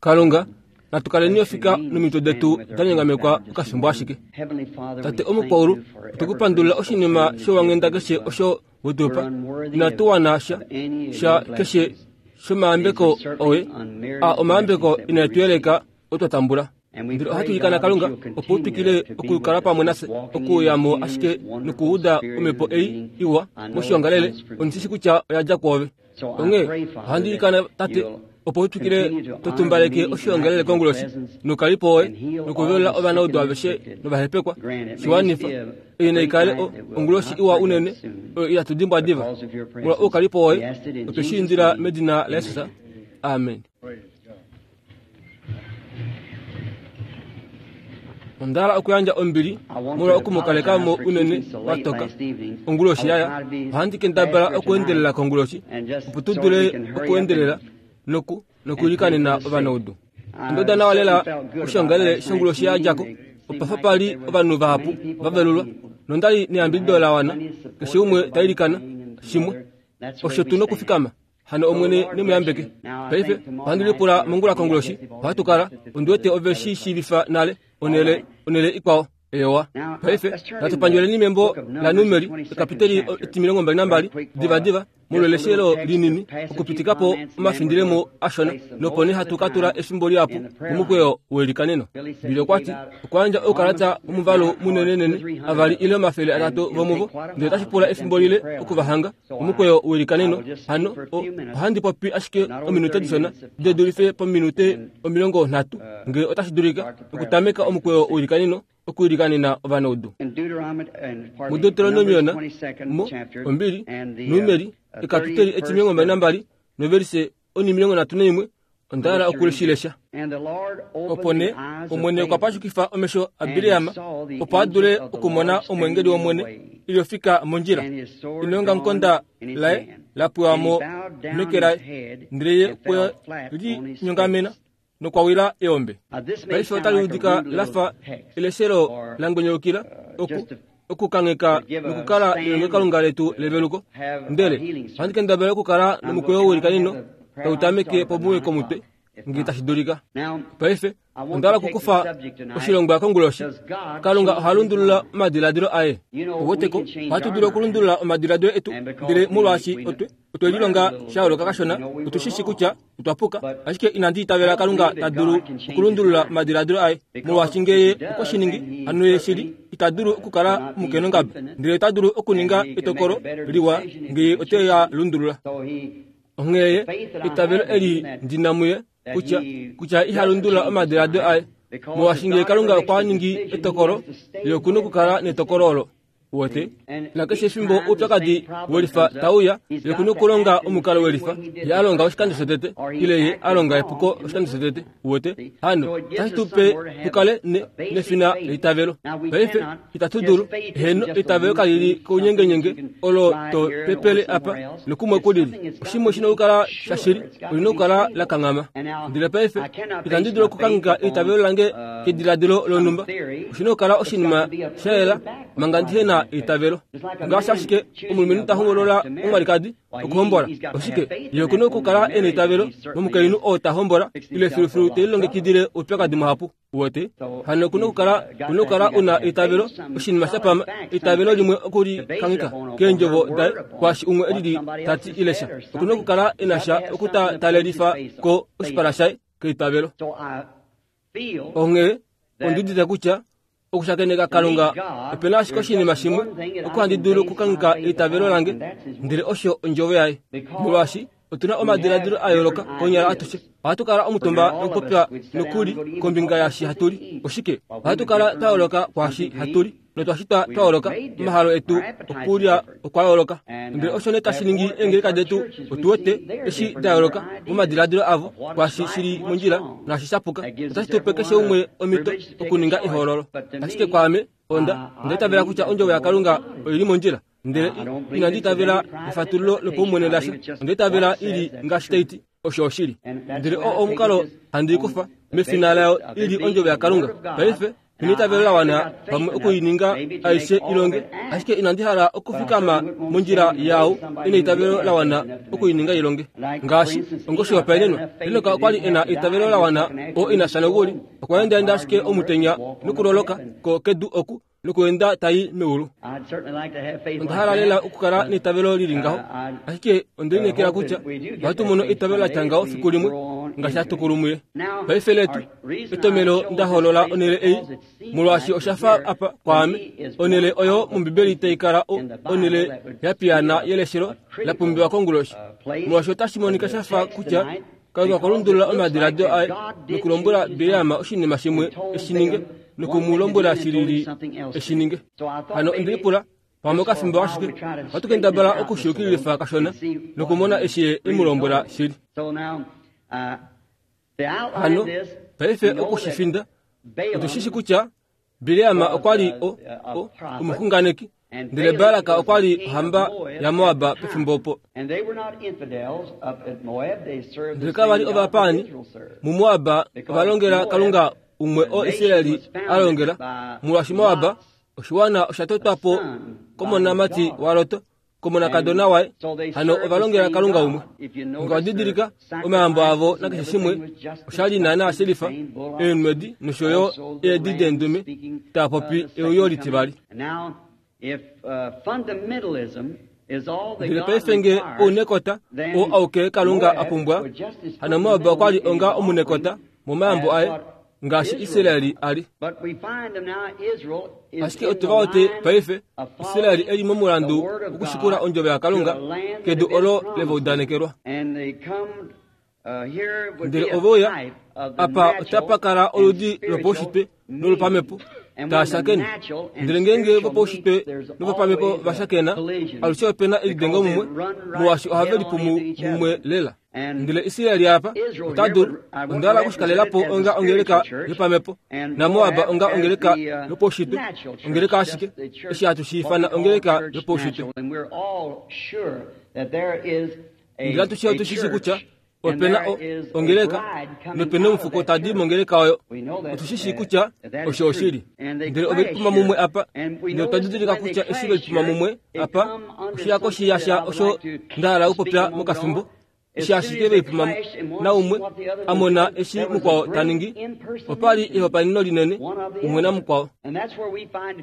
Kalunga, natu kaleni ofika nomitwe detu da nyongamekwa okafimbo ashike. Tate omukwaulu, otwe ku pandulila oshinima showanghenda keshe osho we tu pa. Inatu wana sha, sha keshe shomayambeko oye, a omayambeko inae tu yeleka otwa tambula. Ndele ohatu ilikana Kalunga opo u twikile okukala pamwe nafye, okuuya mo ashike nokuuda omhepo ei iwa moshiongalele, ondi shi shi kutya oya dja kwoove. Onghee ohandi ilikana Tate opo u twikile to tumbaleke oshiongalele konguloshi noukalipo woye nokuvelula ovanaudu aveshe novahepekwa. Shi wanifa. Ei nai kale o, onguloshi iwa unene oyo itatu dimbwa diva. Molwa oukalipo woye, otwe shi indila medina laJesus. Amen. Onda hala okuyandja ombili molwa oku mu kaleka mo unene wa toka onguloshi yaya. Ohandi kendabala okuendelela konguloshi opo tu dule okuendelela noku nokuilikanena ovanaudu. Onda uda nawa lela oshiongalele shonguloshi ya dja ko. Opa fa pa li ovanhu vahapu va velulwa nonda li neyambidido la wana, keshe umwe ta ilikana shimwe. Osho tu nokufikama. Hano Omwene ne mu yambeke. Paife, ohandi lipula mongula konguloshi, ohatu kala, ondi wete ove shi shiivifa nale, onhele, onhele ikwao. Eyowa. Paife, natu pandjoleni membo laNumeri, ekapiteli etimilongo mbali nambali, divadiva, molweleshelo linini, okupitika po omafindilemo ashona, nopo nee hatu ka tula efimbo lihapu momukweyo welikaneno. Billy okwa ti, okwa yandja oukalata vomuvalu munenenene, avali ile 300 vomuvo, ndele otashi pula efimbo lile oku va hanga. Omukweyo welikaneno hano ohandi popi ashike ominute dishona de dulife pominute 30 ngee otashi dulika okutameka omukweyo welikaneno okuilikanena ovanaudu. MuDeuteronomiona mo ombili Numeri ekapiteli etimilongo mbali nambali novelise onimilongo nhatu naimwe Onda hala oku shi lesha. Opo nee Omwene okwa pashukifa omesho aBileam opo a dule okumona omweengeli wOmwene e li ofika mondjila, neongamukonda laye la pwewa mo meke laye, ndele ye okwe li nyongamena nokwa wila eombe. Paife otali udika la fa eleshelo la ngwenyolukila oku okukangheka nokukala nelongelokalunga letu leveluko. Ndele ohandi kendabala okukala nomukweyo welikanino tau tameke pomuwe komutwe ngee tashi dulika. Paife onda hala okukufa oshilongwa konguloshi. Kalunga oha lundulula omadiladilo aye. Ouweteko, ohatu dulu okulundulula omadiladilo etu, ndele molwaashi otwe, otwe lilonga sha yooloka kashona, otu shi shi kutya otwa puka. Ashike inandi itavela Kalunga ta dulu okulundulula omadiladilo aye, molwaashi nge Ye okwe shi ningi, hano Ye shili ita dulu okukala omukenongaba, ndele ota dulu okuninga etokolo liwa nge Ye ote a lundulula. Onghee Ye, eitavelo eli ndi na muye, kutya, kutya iha lundulula omadiladilo aye, molwaashi nge Kalunga okwa ningi etokolo, Ye oku nokukala netokolo olo. Uwete? Nakeshe efimbo oupyakadi welifa tau uya, ye oku na okulonga omukalo welifa ye a longa oshikando shotete, ile ye a longa epuko oshikando shotete. Uwete? Hano, otashi tu pe tu kale ne, nefina leitavelo. Paife, itatu dulu. Heeno, eitavelo kali li kounyengenyenge olo to pepele apa nokumwe ku lili. Oshimwe shi na okukala shashili, oli na okukala la kanghama. Ndele paife, itandi dulu okukangheka eitavelo lange kediladilo lonhumba. Oshi na okukala oshinima sha yela manga ndihe na eitavelo. Ngaashi ashike omulumenhu ta hoolola omwalikadi okuhombola, oshike ye oku na okukala e na eitavelo momukainhu oo ta hombola ile filufilu te lilongekidile oupyakadi muhapu. Uwete? Hano oku na okukala, ku na okukala u na eitavelo, oshinima sha pama, eitavelo limwe oku li kangheka keendjovo daye kwaashi umwe e lili ta ti ile sha. Oku na okukala e na sha oku ta talelifa ko oshipala shaye keitavelo. Onghee ondi udite kutya okushakeneka Kalunga ope na ashike oshinima shimwe oko handi dulu okukangheka eitavelo lange, ndele osho ondjovo yaye. Molwaashi otu na omadiladilo a yooloka konyala atushe, ohatu kala omutumba nokupopya nokuli kombinga yaashi hatu li. Oshike? Ohatu kala twa yooloka kwaashi hatu li notwa shitwa twa yooloka. Omahalo etu okulya okwa yooloka. Ndele osho nee tashi ningi eengeleka detu, otu wete eshi da yooloka momadiladilo avo kwaashi shi li mondjila naashi sha puka. Otashi tu pe keshe umwe omhito okuninga ehoololo. Ashike kwaame, onda, onda itavela kutya Ondjovo yaKalunga oi li mondjila. Ndele inandi itavela efatululo lopaumwene lasha. Onda itavela i li ngaashi tai ti. Osho oshili. Ndele oo omukalo handi i kufa, mefina layo i li Ondjovo yaKalunga. Paife. Ndi na eitavelo la wana pamwe oku i ninga aishe i longe, ashike inandi hala okufikama mondjila yaau e na eitavelo la wana oku i ninga i longe. Ngaashi, ongoshihopaenenwa, Henok okwa li e na eitavelo la wana oo ina fya nokuli, okwa endaenda ashike omutenya nokuloloka ko kedu oku nokuenda ta i meulu. Onda hala lela okukala neitavelo li li ngaho, ashike onde lineekela kutya ohatu mono eitavelo la tya ngaho fiku limwe ngaashi hatu kulu muye. Paife letu etomelo nda hoolola onhele ei molwaashi osha fa apa kwaame onhele oyo mOmbibeli tai kala onhele ya piyaana yeleshelo la pumbiwa konguloshi, molwaashi otashi monika sha fa kutya Kalunga okwa lundulula omadiladilo aye nokulombwela Bileam oshinima shimwe e shi ninge noku mu lombwela shi lili e shi ninge. Hano onde lipula, pamwe okafimbo ashike, ohatu kendabala oku shi yukililifa kashona nokumona eshi ye e mu lombwela shili. Hano, paife oku shi finda, otu shi shi kutya Bileam okwa li o, o, omuxunganeki, ndele Balak okwa li ohamba yaMoab pefimbo opo. Ndele kava li ovapaani muMoab, ova longela Kalunga umwe oo Israel a longela, molwaashi Moab oshiwana osha totwa po komonamati waLot komonakadona waye hano ova longela kalunga umwe nga didilika omayambo avo nakeshe shimwe osha li naanaa shelifa eenwedi nosho yo eedi deendume taa popi euyo litivali ndele paife nge ounekota oo auke kalunga a pumbwa hano moab okwa li onga omunekota momayambo aye ngaashi Israeli a li. Ashike otu va wete paife Israeli e li momulandu wokushikula ondjovo yaKalunga kedu olo le va udanekelwa. Ndele ove uya apa otapa kala oludi lopaushitwe nolopamhepo taa shakene. Ndele ngeenge vopaushitwe novopamhepo va shakena, alushe ope na elidengo mumwe, molwaashi ohave lipumu mumwe lela. Ndele Israel apa ota dulu onda hala okushikalela po onga ongeleka yopamhepo naMoab onga ongeleka yopaushitwe, ongeleka ashike eshi hatu shi ifana ongeleka yopaushitwe. Ndele atushe otu shi shii kutya ope na ongeleka nope na omufuko ta di mongeleka oyo. Otu shi shii kutya osho oshili. Ndele ove lipuma mumwe apa, ndele otwa didilika kutya eshi ve lipuma mumwe apa oshihako shiyasha osho nda hala okupopya mokafimbo eshi ashike ve lipuma naumwe a mona eshi mukwao ta ningi opa li ehopaeneno linene umwe namukwao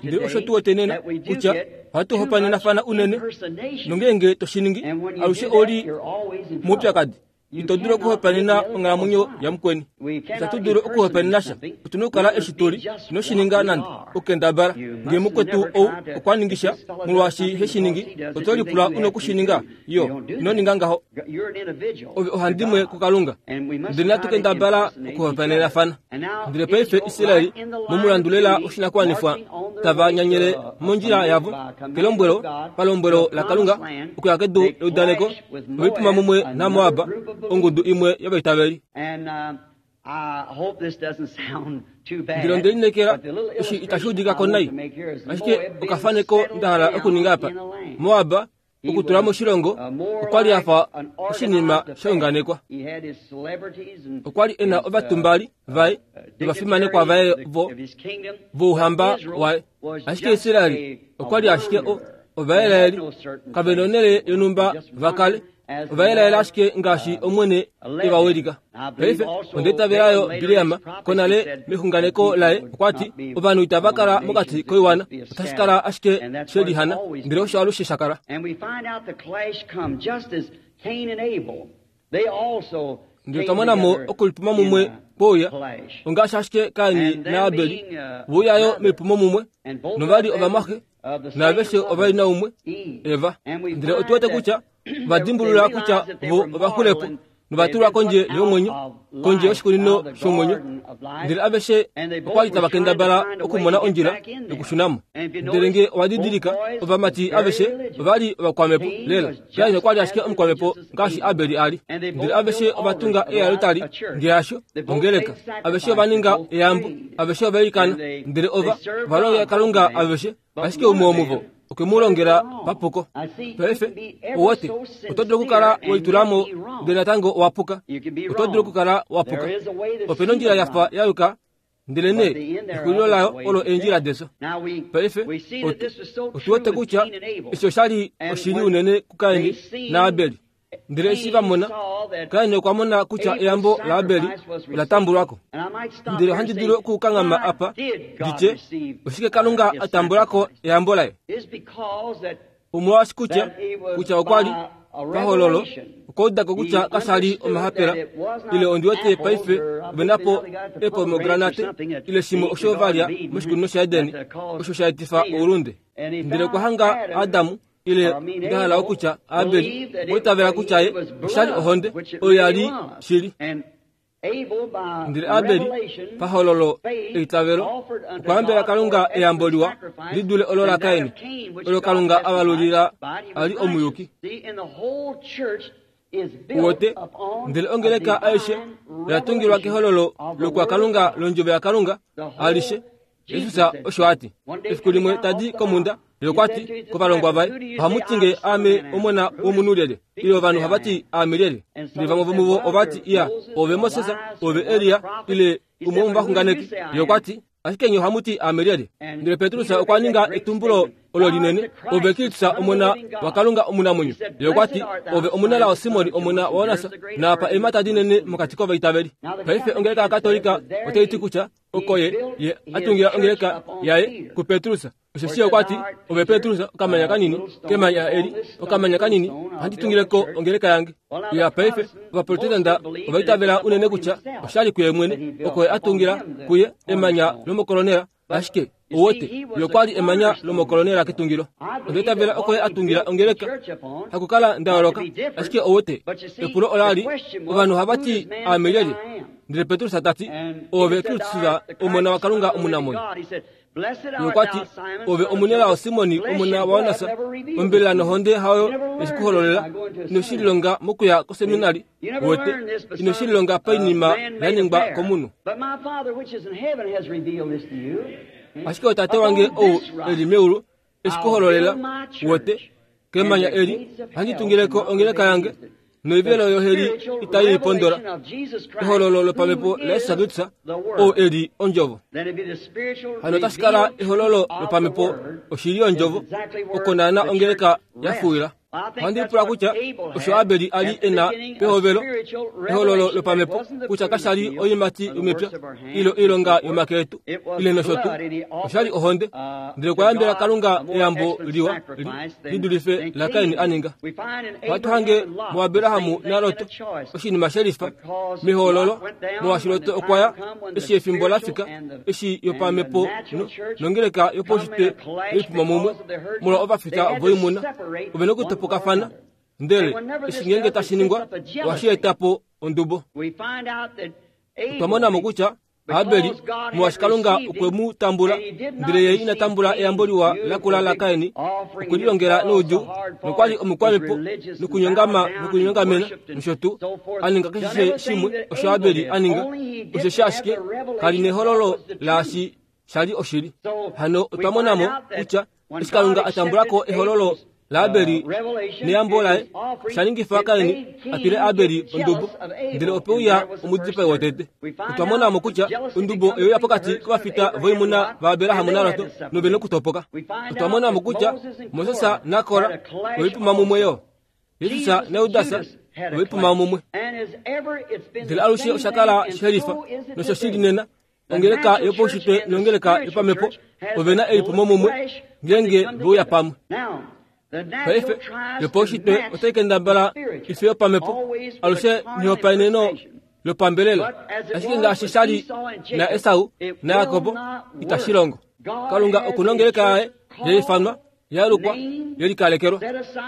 ndele osho tu wete nena kutya ohatu hopaenenafana unene nongeenge to shi ningi alushe oli moupyakadi Ito dulu okuhopaenena onghalamwenyo yamukweni. Itatu dulu okuhopaenena sha. Otu na okukala eshi tu li. Ino shi ninga nande okukendabala. Ngee mukwetu ou okwa ningi sha, molwaashi he shi ningi, oto lipula u na oku shi ninga yo. Ino ninga ngaho. Ove ohandimwe kuKalunga. Ndele natu kendabala okuhopaenenafana. Ndele paife Israel momulandu lela woshinakuwanifwa tava nyanyele mondjila yavo kelombwelo palombwelo laKalunga okuya kedu leudaneko oipuma mumwe naMoab ongudu imwe yovaitaveli. Ndele onde lineekela eshi itashi udika ko nai, ashike okafaneko nda hala okuninga apa. Moab okutula moshilongo okwa li a fa oshinima sha unganekwa. Okwa li e na ovatumbali vaye novafimanekwa vaye vo vouhamba waye. Ashike Israel okwa li ashike o Ovaelaeli kave na onhele yonhumba va kale. Ovaelaeli ashike ngaashi Omwene e va wilika. Paife, onda itavela yo Bileam konale mexunganeko laye okwa ti, Ovanhu itava kala mokati koiwana, otashi kala ashike she lihana, ndele osho alushe sha kala. Ndele otwa mona mo okulipuma mumwe kwouya, ongaashi ashike Kain naAbel vouya yo melipumo mumwe, nova li ovamwaxe, naaveshe ova li naumwe, Eva. Ndele otu wete kutya ova dimbulula kutya vo ova xule po nova tulwa kondje yomwenyo, kondje yoshikunino shomwenyo. Ndele aveshe okwa li tava kendabala okumona ondjila yokushuna mo. Ndele nge owa didilika, ovamati aveshe ova li ovakwamhepo lela. Kain okwa li ashike omukwamhepo ngaashi Abel a li. Ndele aveshe ova tunga ealtari, nge hasho, ongeleka. Aveshe ova ninga eyambo, aveshe ova ilikana, ndele ova ova longela Kalunga aveshe, ashike umwe womuvo okwe mu longela papuko. Paife, owote, oto dulu okukala we litula mo ndele natango owa puka. Oto dulu okukala wa puka. Ope na ondjila ya fa ya yuka. Ndelenee exulilo layo olo eendjila defyo. Paife otu wete kutya eshi osha li oshili unene kuKain naAbel. Ndele eshi va mona, Kain okwa mona kutya eyambo laAbel ola tambulwa ko. Ndele ohandi dulu okukanghama apa ndi tye, oshike Kalunga a tambula ko eyambo laye? Omolwaashi kutya, kutya okwa li, pahololo, okwa uda ko kutya kasha li omahapela, ile ondi wete paife ove na po epomegranate, ile shimwe osho va lya moshikunino shaEden, osho sha etifa oulunde. Ndele okwa hanga Adam, ile nda hala okutya Abel, okwa itavela kutya ye osha li ohonde, oyo ya li shili. Ndele Abel, pahololo eitavelo, okwa yambela Kalunga eyambo liwa li dule olo laKain, olo Kalunga a valulila a li omuyuki. Uwete, ndele ongeleka aishe oya tungilwa kehololo lokwakalunga londjovo yaKalunga alishe. Jesus osho a ti. Efiku limwe ta di komhunda, ye okwa ti kovalongwa vaye, Ohamu ti nge aame omona womunhu lyelye? Ile ovanhu ohava ti aame lyelye? Ndele vamwe vomuvo ova ti, Iya, oove Moses, oove Elia, ile umwe womovaxunganeki. Ye okwa ti, Ashike nye ohamu ti aame lyelye? Ndele Petrus okwa ninga etumbulo olo linene, Ove Kristus, Omona waKalunga omunamwenyo. Ye okwa ti, Ove omunelao Simon, omona waJonas, naapa eemhata dinene mokati kovaitaveli. Paife ongeleka yaKatolika otai ti kutya oko ye ye a tungila ongeleka yaye kuPetrus. Osheshi okwa ti, Ove Petrus, okamanya kanini kemanya eli, okamanya kanini, ohandi tungile ko ongeleka yange. Ya paife, Ovaprotestanta ova itavela unene kutya osha li kuye mwene oko ye a tungila kuye emanya lomokolonela, ashike ou wete, ye okwa li emanya lomokolonela ketungilo. Onda itavela oko ye a tungila ongeleka, hakukala nda yooloka, ashike ou wete, epulo ola li, ovanhu ohava ti aame lyelye? Ndele Petrus ta ti, Oove Kristus, Omona waKalunga omunamwenyo. Ye okwa ti, Ove omunelao Simoni, omona waJonas, ombelela nohonde hayo ye ku hololela. Ino shi lilonga mokuya koseminari, wete, ino shi lilonga painima ya ningwa komunhu. Ashike oTate wange ou e li meulu e shi ku hololela, wete, Kemanya eli ohandi tungile ko ongeleka yange, noivelo yoheli itai i pondola. Ehololo lopamhepo laJesus Kristus, ou e li Ondjovo. Hano otashi kala ehololo lopamhepo oshili yOndjovo, oko naana ongeleka ya fuwila. Ohandi lipula kutya osho Abel a li e na pehovelo, ehololo lopamhepo, kutya kasha li oiimati yomepya, ile oilonga yomake etu, ile nosho tuu. Osha li ohonde, ndele okwa yambela Kalunga eyambo liwa li dulife laKain a ninga. Ohatu hange muAbraham naLot oshinima she lifa mehoololo, molwaashi Lot okwa ya eshi efimbo la fika eshi yopamhepo nongeleka yopaushitwe yoipuma mumwe molwa ovafita voimuna ove na okutopokafana ndele eshi ngeenge tashi ningwa ohashi eta po ondubo. Otwa mona mo kutya Abeli, molwaashi Kalunga okwe mu tambula, ndele ye ina tambula eyambo liwa la kula laKain, okwe lilongela noudjuu, nokwa li omukwamhepo nokunyongama nokunyongamena nosho tuu, a ninga keshe shimwe osho Abeli a ninga, osheshi ashike ka li nehololo laashi sha li oshili. Hano otwa mona mo kutya eshi Kalunga a tambula ko ehololo laAbeli neyambo laye, osha ningifa Kain a twile Abeli ondubo, ndele ope uya omudipai wotete. Otwa mona mo kutya ondubo oye uya pokati kovafita voimuna vaAbraham naLot nove nokutopoka. Otwa mona mo kutya Moses naKora ove lipuma mumwe yo. Jesus naJudas ove lipuma mumwe. Ndele alushe osha kala shelifa nosho shili nena Ongeleka yopaushitwe nongeleka yopamhepo ove na elipumo mumwe ngeenge ve uya pamwe. Paife, yopaushitwe otai kendabala ife yopamhepo, alushe nehopaeneno lopambelela, ashike ngaashi sha li naEsau naJakob, itashi longo. Kalunga oku na ongeleka yaye ya ifanwa ya lukwa ye likalekelwa.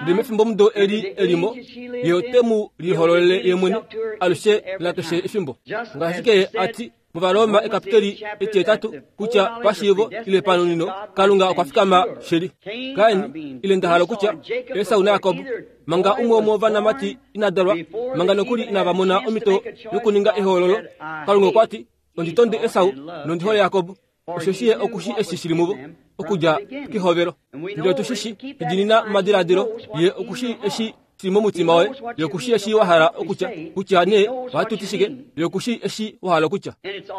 Ndele mefimbomudo eli e li mo, Ye ote mu lihololele Ye mwene alushe nakeshe efimbo. Ngaashi ashike Ye a ti mOvaroma ekapiteli etihetatu kutya pashiivo ile panonino Kalunga okwa fikama shili. Kain, ile nda hala okutya, Esau naJakob, manga umwe womovanamati ina dalwa, manga nokuli inava mona omhito yokuninga ehoololo, Kalunga okwa ti, Ondi tonde Esau nondi hole Jakob. Osheshi ye oku shii eshi shi li muvo okudja kehovelo. Ndele otu shi shii, edinina momadiladilo, ye oku shii eshi. shili momutima woye. Ye oku shii eshi wa hala okutya, kutya nee ohatu ti shike. Ye oku shii eshi wa hala okutya.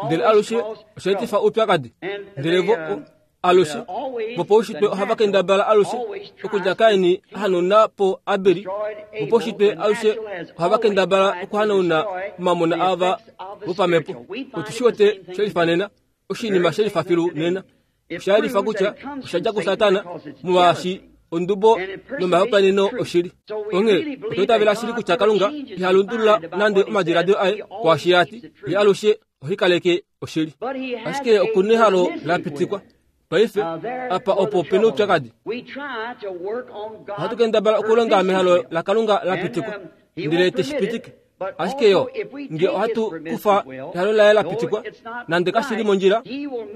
Ndele alushe osha etifa oupyakadi. Ndele vo, alushe, vopaushitwe ohava kendabala alushe okudja Kain a hanauna po Abel. Vopaushitwe alushe ohava kendabala okuhanauna omamona ava vopamhepo. Otu shi wete shelifanena, oshinima shelifa filu nena. Osha yelifa kutya osha dja kuSatana, molwaashi ondubo nomahopaeneno oshili. Onghee otwa itavela shili kutya Kalunga iha lundulula nande omadiladilo aye kwaashi a ti, Ye alushe ohi kaleke oshili. Ashike oku nehalo la pitikwa. Paife, apa opo pe noupyakadi. Ohatu kendabala okulonga mehalo laKalunga la pitikwa, ndele te shi pitike. Ashike yo, nge ohatu kufa ehalo laye la pitikwa, nande kashi li mondjila,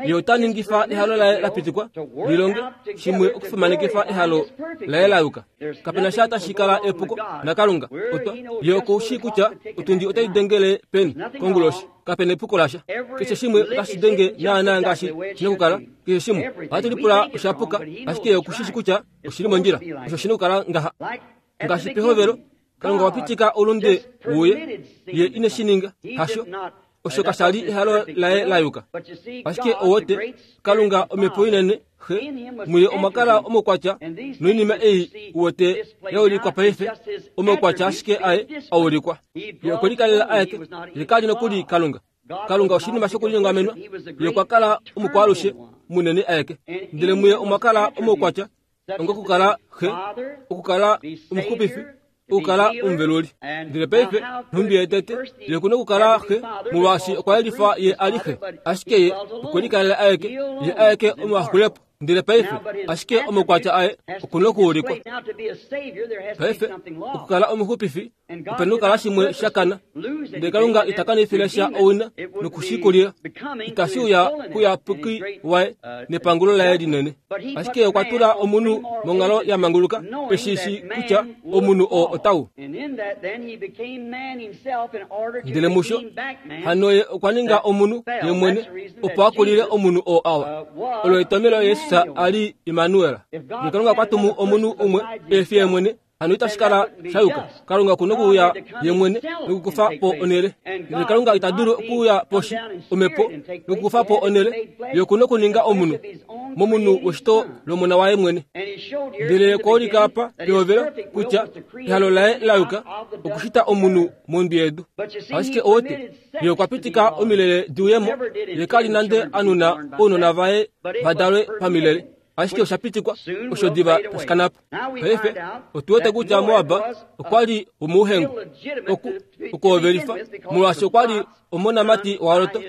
ye ota ningifa ehalo laye la pitikwa li longe shimwe okufimanekifa ehalo laye la yuka. Kape na sha tashi kala epuko naKalunga. Otwa, ye oku shii kutya otundi otai dengele peni konguloshi. Kape na epuko lasha. Keshe shimwe otashi denge naanaa ngaashi shi na okukala. Keshe shimwe. Ohatu lipula osha puka, ashike ye oku shi shii kutya oshi li mondjila. Osho shi na okukala ngaha. Ngaashi pehovelo, Kalunga okwa pitika oulunde wuye, ye ine shi ninga. Hasho, osho kasha li ehalo laye la yuka. Ashike owote, Kalunga omhepo inene, Xe, muye omwa kala omaukwatya noinima ei uwete ya ulikwa paife, omaukwatya ashike aye a ulikwa. Ye okwe likalela aeke, ye ka li nokuli Kalunga. Kalunga oshinima shokulinyongamenwa, ye okwa kala omukwaalushe munene aeke. Ndele muye omwa kala omaukwatya ongokukala Xe, okukala Omuxupifi, okukala Omuveluli. Ndele paife, nhumbi ye tete, ye oku na okukala Xe, molwaashi okwa yelifa ye a li Xe. Ashike ye okwe likalela aeke, ye aeke omuwaxulepo. Ndele paife, ashike omaukwatya aye oku na okuulikwa. Paife, okukala Omuxupifi, ope na okukala shimwe sha kana. Ndele Kalunga ita kanifile sha owina nokushikulila, itashi uya kuyapuki waye nepangulo laye linene. Ashike okwa tula omunhu monghalo ya manguluka, eshi shi kutya omunhu oo otau. Ndele musho, hano ye okwa ninga omunhu ye mwene, opo a kulile omunhu oo awa. Olo etomelo Jesus a li Immanuel. Ndele Kalunga okwa tumu omunhu umwe e fi ye mwene, Hano itashi kala sha yuka. Kalunga oku nokuuya ye mwene nokukufa po onhele. Ndele Kalunga ita dulu okuuya poshi, omhepo, nokukufa po onhele. Ye oku nokuninga omunhu, momunhu weshito lOmona waye mwene. Ndele ye okwa ulika apa pehovelo kutya ehalo laye la yuka okushita omunhu mondwi yedu. Ashike owote, ye okwa pitika omilele di uye mo. Ye ka li nande a nuna ounona vaye va dalwe pamilele. Ashike osha pitikwa osho diva tashi kana po. Paife otu wete kutya Moab okwa li womouhengu oku okuhovelifa, molwaashi okwa li omonamati waLot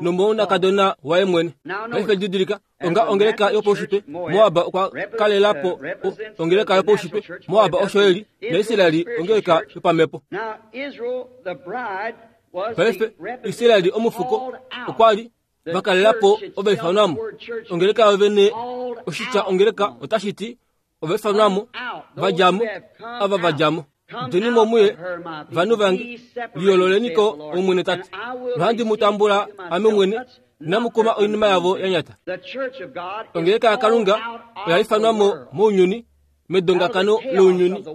nomonakadona waye mwene. Paife didilika, onga ongeleka yopaushitwe, Moab okwa kalela po ongeleka yopaushitwe. Moab osho e li, naIsrael ongeleka yopamhepo. Paife Israel omufuko okwa li va kalela po ovaifanwa mo. Ongeleka yo vene, oshitya ongeleka otashi ti ovaifanwa mo, va dja mo, ava va dja mo. Djeni mo muye, vanhu vange, liyoololeni ko, Omwene ta ti. Nohandi mu tambula ame mwene, inamu kuma oinima yavo ya nyata. Ongeleka yaKalunga oya ifanwa mo mounyuni, medongakano lounyuni.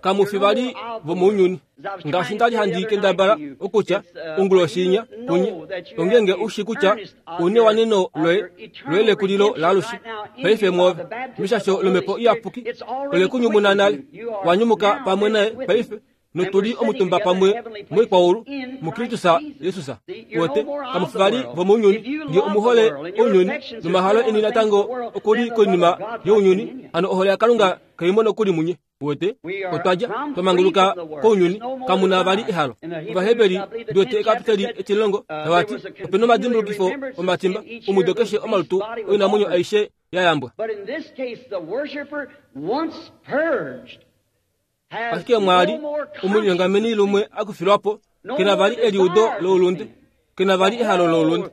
Kamu fi vali vomounyuni. Ngaashi nda li handi kendabala okutya onguloshi inya kunye, ongeenge u shi kutya u newaneno loye loye lekulilo laalushe paife mwoove, meshasho lOmhepo Iyapuki ole ku nyumuna nale, wa nyumuka pamwe naye paife, notu li omutumba pamwe moikwaulu muKristus Jesus. Wote, kamu fi vali vomounyuni. Nge omu hole ounyuni nomahalo eni natango oku li koinima younyuni, hano ohole yaKalunga kai mo nokuli munye. Wote, otwa dja, twa manguluka kounyuni, kamu na vali ehalo. Ovaheberi, ndi wete ekapiteli etilongo, tava ti, Ope nomadimbulukifo omatimba, omudo keshe omalutu oinamwenyo aishe ya yambwa. Ashike mwa li omulinyongameni lumwe a kufilwa po, ke na vali eliudo loulunde, ke na vali ehalo loulunde.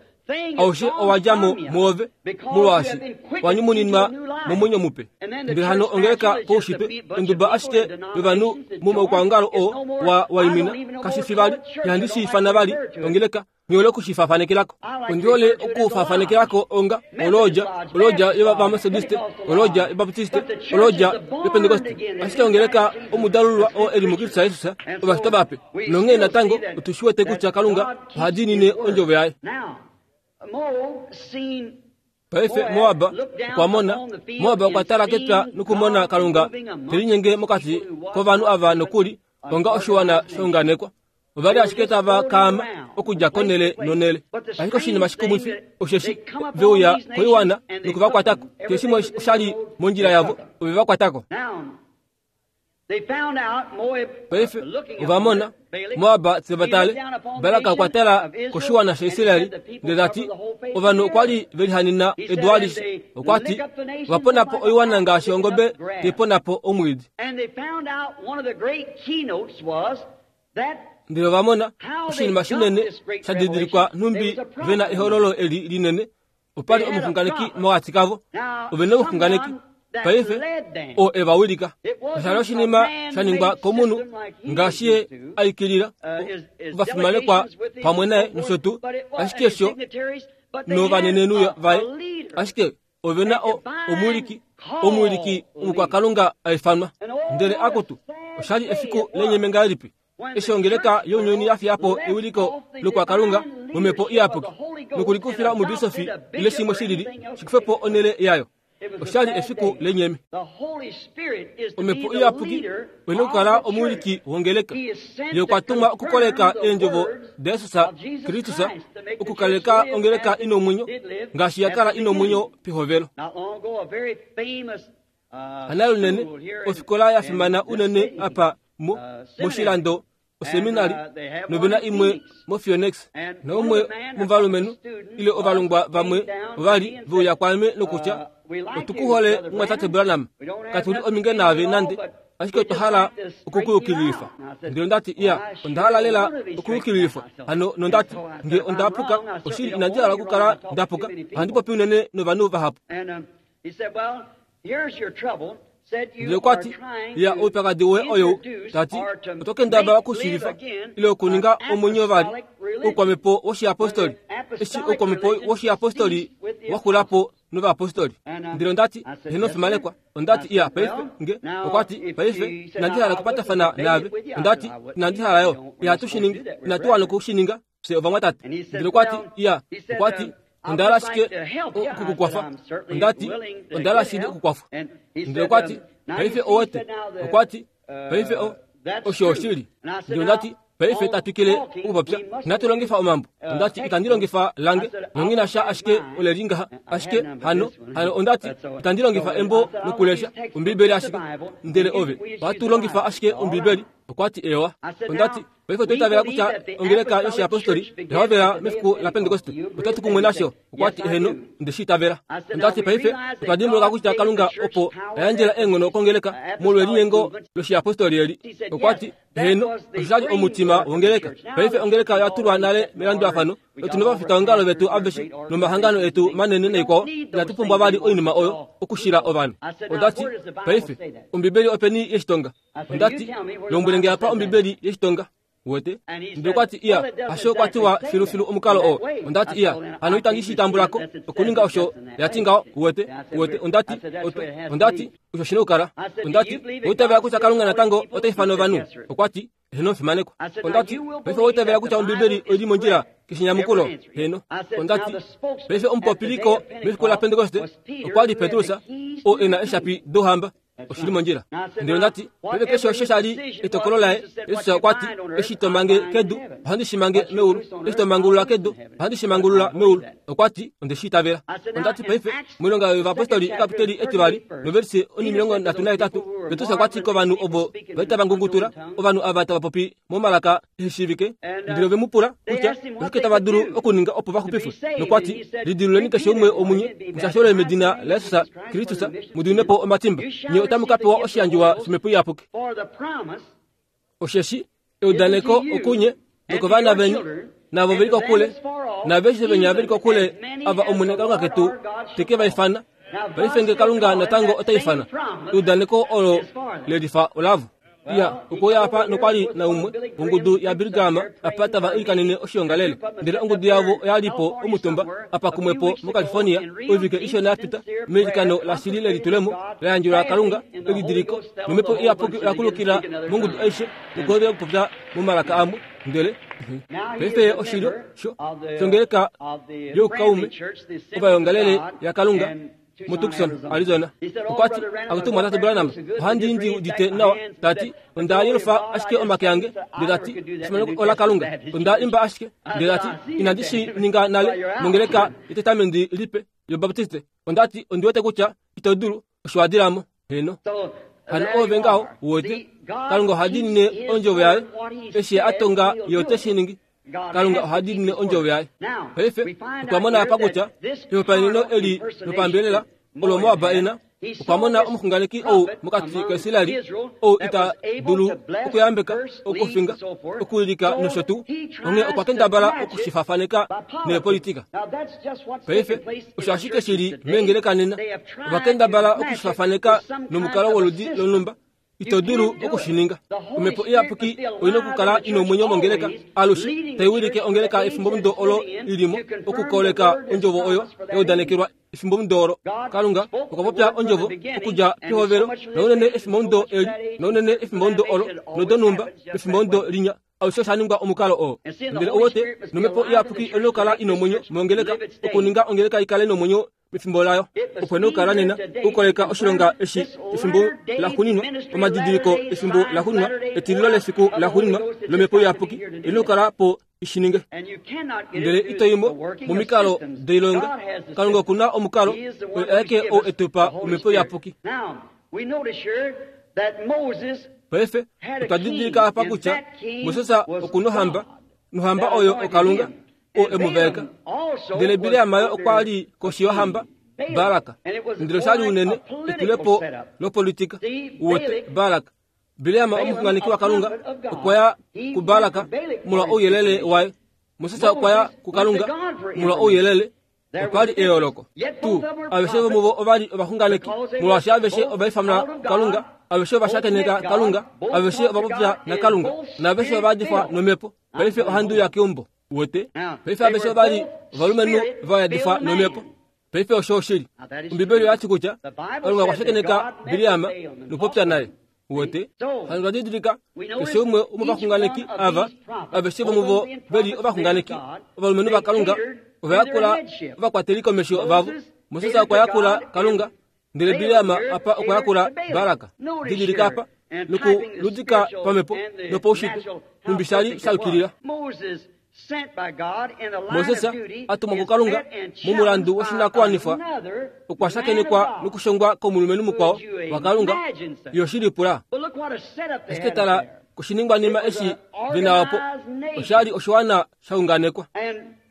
Aushe owa dja mo mwoove, molwaashi wa nyumuninwa momwenyo mupe. Ndele hano ongeleka poushitwe, onduba ashike yovanhu momaukwaongalo oo wa waimina, kashi fi vali, ihandi shi ifana vali ongeleka. Nghi hole oku shi faafanekela ko. Ondi hole oku faafanekela ko onga olodja, olodja yOvametodiste, olodja yObaptiste, olodja yOpentekoste. Ashike ongeleka omudalulwa oo e li muKristus Jesus, ovashitwa vape. Nonghee natango otu shi wete kutya Kalunga oha diinine Ondjovo Yaye. Paife Moab okwa mona, Moab okwa tala kepya nokumona Kalunga te linyenge mokati kovanhu ava nokuli onga oshiwana shaunganekwa. Ova li ashike tava kaama okudja konhele nonhele. Ashike oshinima shikumwifi osheshi ve uya koiwana noku va kwata ko. Keshe shimwe osha li mondjila yavo, ove va kwata ko. Paife ova mona Moab tse va tale. Balak okwa tala koshiwana shaIsrael ndele ta ti, Ovanhu okwa li ve lihanena edu alishe. Okwa ti, Ova pona po oiwana ngaashi ongobe tai pona po omwiidi. Ndele ova mona oshinima shinene sha didilikwa nhumbi ve na ehololo eli linene. Opa li omuxunganeki mokati kavo. Ove na omuxunganeki paife oo e va wilika. Osha li oshinima sha ningwa komunhu ngaashi ye a ikilila. Ovafimanekwa pamwe naye nosho tuu, ashike sho novanenenhu vaye, ashike ove na omuwiliki, omuwiliki omukwakalunga a ifanwa. Ndele akutu, osha li efiku lenyeme ngahelipi eshi ongeleka younyuni ya fiya po ewiliko lokwakalunga momhepo iyapuki nokulikufila omubisofi ile shimwe shilili shi kufe po onhele yayo. Osha li efiku lenyeme. Omhepo iyapuki oina okukala omuwiliki wongeleka. Ye okwa tumwa okukoleka eendjovo daJesus Kristus, okukaleka ongeleka i nomwenyo ngaashi ya kala i nomwenyo pehovelo. Hana lunene, ofikola ya fimana unene apa mo, moshilando oseminari nove na imwe moPhoenix. Naumwe movalumenhu ile ovalongwa vamwe ova li ve uya kwaame nokutya, Otu ku hole mumwatate Branham. Katu li ominge naave nande, ashike otwa hala okukuyukililifa. Ndele onda ti, Iya, onda hala lela okuyukililifwa. Hano nonda ti, Nge onda puka, oshili inandi hala okukala nda puka. Ohandi popi unene novanhu vahapu. Ndele okwa ti, Ya, oupyakadi woye oyou, ta ti, oto kendabala okushiivifa ile okuninga omwenyo vali oukwamhepo woshiyapostoli, eshi oukwamhepo woshiyapostoli wa xula po novayapostoli. Ndele onda ti, Heeno, fimanekwa. Onda ti, Iya, paife, nge. Okwa ti, Paife, inandi hala okupatafana naave. Onda ti, Inandi hala yo. Ihatu shi ningi. Inatu wana oku shi ninga. Fye ovamwatate. Ndele okwa ti, Iya, okwa ti, onda hala ashike oku ku kwafa. Onda ti, Onda hala shili okukwafwa. Ndele okwa ti, Paife owete. Okwa ti, Paife o, osho oshili. Ndele onda ti, Paife ta twikile okupopya. Inatu longifa omambo. Onda ti, Itandi longifa lange. Nonghi na sha ashike ole li ngaha. Ashike, hano, hano onda ti, Itandi longifa embo lokulesha, Ombibeli ashike. Ndele ove, ohatu longifa ashike Ombibeli. Okwa ti, Eewa. Onda ti, Paife otwa itavela kutya ongeleka yoshiyapostoli oya hovela mefiku laPentekoste. Otwa kumwe nasho. Okwa ti, Eheno, onde shi itavela. Onda ti, Paife otwa dimbuluka kutya Kalunga opo a yandjela eenghono kongeleka molwelinyengo loshiyapostoli eli. Okwa ti, Eheno, osho sha li omutima wongeleka. Paife ongeleka oya tulwa nale melandulafano, notu novafitaongalo vetu aveshe nomahangano etu manene naikwao. Inatu pumbwa vali oinima oyo okushila ovanhu. Onda ti, Paife, Ombibeli openi ye shi tonga? Onda ti, Lombwele nge apa Ombibeli ye shi tonga. Uwete? Ndele okwa ti, Iya, hasho kwa tiwa filufilu omukalo oo. Onda ti, Iya, hano itandi shi tambula ko, okuninga osho ya ti ngaho. Uwete? Uwete? Onda ti, Oto, onda ti, osho shi na okukala. Onda ti, Owa itavela kutya Kalunga natango ota ifana ovanhu? Okwa ti, Heeno, fimanekwa. Onda ti, Paife owa itavela kutya Ombibeli oi li mondjila keshe nyamukulo? Heeno. Onda ti, Paife omupopiliko mefiku laPentekoste okwa li Petrus, oo e na eeshapi dOuhamba. Oshi li mondjila. Ndele onda ti, Paife keshe osho sha li etokolo laye, Jesus okwa ti, Eshi to mange kedu, ohandi shi mange meulu. Eshi to mangulula kedu, ohandi shi mangulula meulu. Okwa ti, Onde shi itavela. Onda ti, Paife, moilonga yovapostoli ekapiteli etivali, novelise onimilongo nhatu nahetatu, Petrus okwa ti kovanhu ovo va li tava ngungutula, ovanhu ava tava popi momalaka ehe shiivike, ndele ove mu pula kutya oshike tava dulu okuninga opo va xupifwe, nokwa ti, Lidiluleni keshe umwe womunye, mushashelwe medina laJesus Kristus, mu diminwe po omatimba, nye otamu ka pewa oshiyandjiwa shOmhepo Iyapuki. Osheshi eudaneko okunye nokovana veni, navo ve li kokule, naaveshe venya ve li kokule, ava Omwene Kalunga ketu te ke va ifana. Paife nge Kalunga natango ota ifana, eudaneko olo le lifa olavo. Ya, okwe uya apa nokwa li naumwe wongudu yaBilly Graham apa tava ilikanene oshiongalele. Ndele ongudu yavo oya li po omutumba apa kumwe po moCalifornia oivike ishona ya pita, meilikano lashili lelitulemo la yandjelwa Kalunga, elidiliko, nomhepo iyapuki oya kulukila mongudu aishe nokuhovela okupopya momalaka amwe. Ndele paife ye oshilyo sho shongeleka youkaume ovayongalele yaKalunga muTucson, Arizona. Okwa ti, Akutu Mwatate Branham, ohandi ndi udite nawa. Ta ti, Onda yelufa ashike omake ange, ndele ta ti, Efimaneko ola Kalunga. Onda imba ashike, ndele ta ti, Inandi shi ninga nale mongeleka yEtestamenti Lipe yObaptiste. Onda ti, Ondi wete kutya ito dulu, osho wa dila mo. Heeno. Hano oove ngaho, u wete. Kalunga oha diinine Ondjovo Yaye. Eshi Ye a tonga, Ye ote shi ningi. Kalunga oha diinine Ondjovo Yaye. Paife, otwa mona apa kutya ehopaeneno eli lopambelela olo Moab e na, okwa mona omuxunganeki ou mokati kaIsrael ou ita dulu okuyambeka, okufinga, okuwilika nosho tuu. Onghee okwa kendabala oku shi faafaneka neepolitika. Paife, osho ashike shi li meengeleka nena. Ova kendabala oku shi faafaneka nomukalo woludi lonhumba. Ito dulu oku shi ninga. Omhepo Iyapuki oi na okukala i nomwenyo mongeleka alushe, tai wilike ongeleka efimbomudo olo i li mo, okukoleka Ondjovo oyo ya udanekelwa efimbomudo olo. Kalunga okwa popya Ondjovo okudja pehovelo, naunene efimbomudo eli, naunene efimbomudo olo, nodonhumba efimbomudo linya. Alushe osha ningwa omukalo oo. Ndele ou wete, nOmhepo Iyapuki oi na okukala i nomwenyo mongeleka, okuninga ongeleka i kale nomwenyo mefimbo layo. Opo ine okukala nena okukoleka oshilonga eshi efimbo laxuuninwa, omadidiliko efimbo laxuuninwa, etililo lefiku laxuuninwa lOmhepo Iyapuki ine okukala po i shi ninge. Ndele ito i mo momikalo doilonga. Kalunga oku na omukalo, oye aeke ou e tu pa Omhepo Iyapuki. Paife otwa didilika apa kutya Moses oku nohamba, nohamba oyo oKalunga. oo e mu vaeka. Ndele Bileam yo okwa li koshi yohamba Balak, ndele osha li unene etulepo lopolitika. Uwete, Balak, Bileam omuxunganeki waKalunga, okwa ya kuBalak molwa ouyelele waye. Moses okwa ya kuKalunga molwa ouyelele. Opa li eyooloko. Tu, aveshe vomuvo ova li ovaxunganeki, molwaashi aveshe ova ifanwa kuKalunga, aveshe ova shakeneka Kalunga, aveshe ova popya naKalunga, naaveshe ova yadifwa nomhepo. Paife ohandi uya keumbo. Uwete? Paife aveshe ova li ovalumenhu va yadifwa nomhepo. Paife osho oshili. Ombibeli oya ti kutya Kalunga okwa shakeneka Bileam nokupopya naye. Uwete? Hano twa didilika keshe umwe womovaxunganeki ava, aveshe vomuvo ve li ovaxunganeki, ovalumenhu vaKalunga, ova yakula ovakwateli komesho vavo. Moses okwa yakula Kalunga, Ndele Bileam apa okwa yakula Balak. Didilika apa, nokuludika pamhepo nopaushitwe, nhumbi sha li sha yukilila. Moses, a tumwa kuKalunga momulandu woshinakuwanifwa, okwa shakenekwa nokushongwa komulumenhu mukwao waKalunga. Yo shi lipula. Ashike tala koshiningwanima eshi ve na opo. Osha li oshiwana sha unganekwa.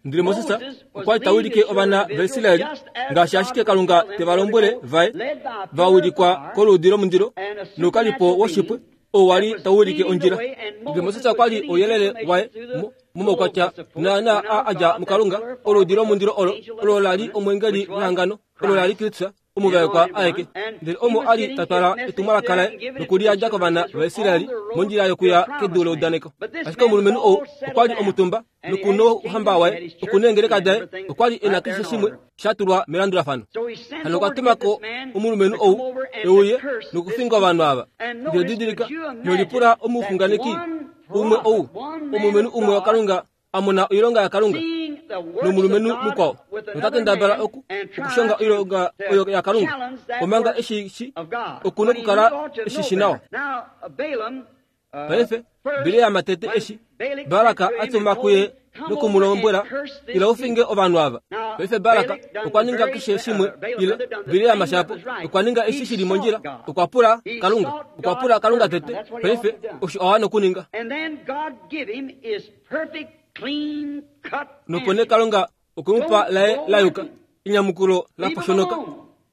Ndele Moses okwa li ta wilike ovana vaIsrael ngaashi ashike Kalunga te va lombwele vaye, va wilikwa koluudi lomundilo noukalipo woshipwe oo wa li tau wilike ondjila. Ndele Moses okwa li ouyelele waye momaukwatya naanaa a a dja muKalunga, oluudi lomundilo olo, olo la li omweengeli wehangano, olo la li Kristus, omuvaekwa aeke. Ndele omo a li ta twala etumwalaka laye nokuliyandja kovana vaIsrael mondjila yokuya kedu leudaneko. Ashike omulumenhu ou okwa li omutumba noku nouhamba waye, oku neengeleka daye, okwa li e na keshe shimwe sha tulwa melandulafano. Hano okwa tuma ko omulumenhu ou e uye nokufinga ovanhu ava. Ndele didilika, nolipula omuxunganeki umwe ou, omulumenhu umwe waKalunga a mona oilonga yaKalunga nomulumenhu mukwao nota kendabala oku okushonga oilonga oyo yaKalunga omanga eshi shi oku nokukala eshi shi nawa. Paife Bileam tete eshi Balak a tuma kuye noku mu lombwela, Ila u finge ovanhu ava. Paife Balak okwa ninga keshe shimwe ile Bileam shapo okwa ninga eshi shi li mondjila. Okwa pula Kalunga. Okwa pula Kalunga tete. Paife osho a wana okuninga. Nopo nee Kalunga okwe mu pa laye la yuka, enyamukulo la poshonoka.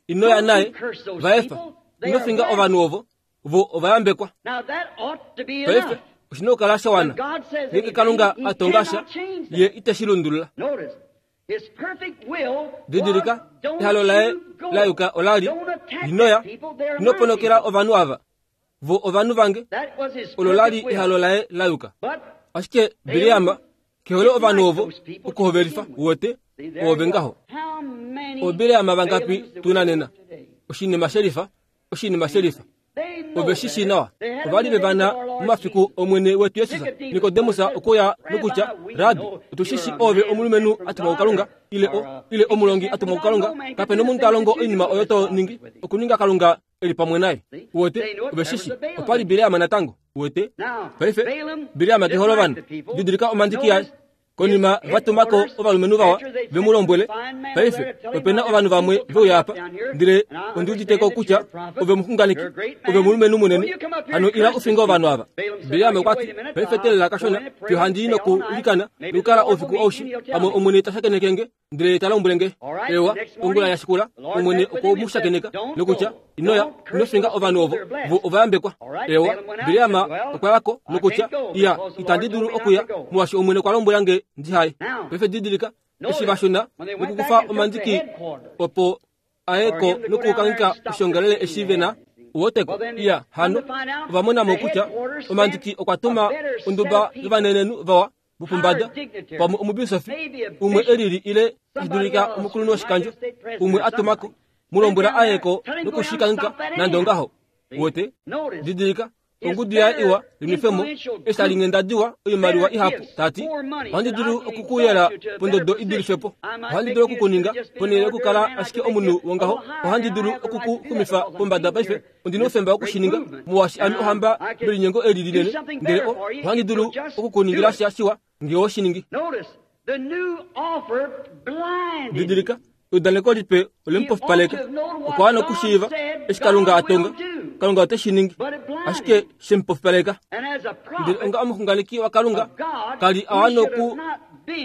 Ino ya naye, va efa. Ino finga ovanhu ovo, vo ova yambekwa. Paife oshi na okukala sha wana. Ngeenge Kalunga a tonga sha, Ye ite shi lundulula. Didilika, ehalo laye la yuka ola li, Ino ya, ino ponokela ovanhu ava. Vo ovanhu vange. Olo la li ehalo laye la yuka. Ashike Bileam ke hole ovanhu ovo okuhovelifa, uwete, oove ngaho. OoBileam vangapi tu na nena? Oshinima shelifa, oshinima shelifa. Ove shi shii nawa. Ova li ve va na momafiku Omwene wetu Jesus. Nikodemus okwe uya nokutya, Rabbi, otu shi shii oove omulumenhu a tumwa kuKalunga, ile o, ile omulongi a tumwa kuKalunga. Kape nomunhu ta longo oinima oyo to ningi, okuninga Kalunga e li pamwe naye. Uwete, ove shi shii. Opa li Bileam natango. Uwete? Paife, Bileam ke hole ovanhu. Didilika omandiki aye. Konima va tuma ko ovalumenhu vawa ve mu lombwele, Paife, ope na ovanhu vamwe ve uya apa, ndele ondi udite ko kutya ove omuxunganeki, ove omulumenhu munene. Hano ila u finge ovanhu ava. Bileam okwa ti, Paife teelela kashona, fiyo handi i nokuilikana nokukala oufiku aushe, pamwe Omwene ta shakeneke nge. Ndele ta lombwele nge, Ewa, ongula ya shikula, Omwene okwe mu shakeneka, nokutya, Ino ya, ino finga ovanhu ovo, vo ova yambekwa. Ewa, Bileam okwa ya ko, nokutya, Iya, itandi dulu okuya, molwaashi Omwene okwa lombwela nge ndi haye. Paife didilika, eshi va shuna nokukufa omandiki opo a ye ko nokukangika oshiongalele eshi ve na uwoteko. Iya, hano, ova mona mo kutya omandiki okwa tuma onduba yovanenenhu vawa vopombada, pamwe omubisofi umwe e lili ile tashi dulika omukulunhu woshikandjo umwe a tuma ko, mu lombwela a ye ko nokushikangika nande ongaho. Uwete? Didilika, ongudu yaye iwa linwefemo eshi tali nghenda diwa oimaliwa ihapu, ta ti, Ohandi dulu oku ku yela pondodo i dulife po. Ohandi dulu oku ku ninga, ponhele yokukala ashike omunhu wongaho, ohandi dulu oku ku xumifa pombada paife. Ondi na oufemba woku shi ninga, molwaashi ame ohamba melinyengo eli linene, ndele o, ohandi dulu oku ku ningila sha shiwa nge owe shi ningi. Didilika, eudaneko lipe ole mu pofipaleka. Okwa wana okushiiva eshi Kalunga a tonga. Kalunga ote shi ningi, ashike she mu pofipaleka. Ndele onga omuxunganeki waKalunga, ka li a wana oku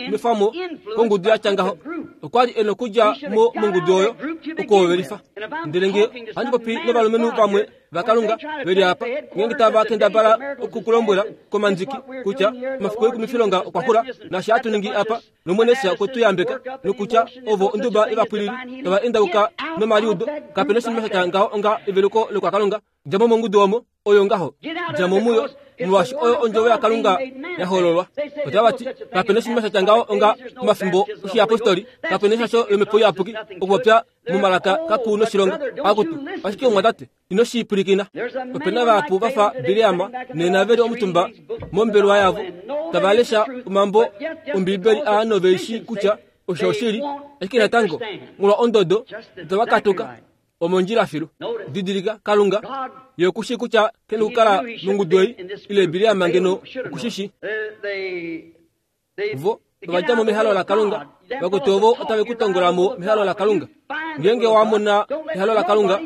nwefa mo kongudu ya tya ngaho. Okwa li e na okudja mo mongudu oyo okuhovelifa. Ndele nge ohandi popi novalumenhu vamwe vaKalunga ve li apa, ngeenge tava kendabala oku ku lombwela komandiki kutya omafiku oikumifilonga okwa xula, naashi hatu ningi apa, nOmwene Jesus okwe tu yambeka, nokutya ovo onduba yovapwilili tava endauka nomaliudo, kape noshinima sha tya ngaho onga eveluko lokwaKalunga. Dja mo mongudu omo, oyo ngaho. Dja mo muyo, molwaashi oyo ondjovo yaKalunga ya hololwa. Otava ti, kape noshinima sha tya ngaho onga pomafimbo oshiyapostoli, kape neshasho lomhepo iyapuki okupopya momalaka kaku noshilonga. Akutu, ashike omwatate, ino shi pwilikina. Ope na vahapu va fa Bileam nena ve li omutumba mombelewa yavo tava lesha omambo Ombibeli aa nove shii kutya osho oshili, ashike natango molwa ondodo itava katuka. Omondjila filu. Didilika, Kalunga, Ye oku shii kutya ke nokukala mongudu ei, ile Bileam ngeno oku shi shii. Vo ova dja mo mehalo laKalunga. Vakwetu ovo otave ku tongola mo mehalo laKalunga. Ngeenge wa mona ehalo laKalunga,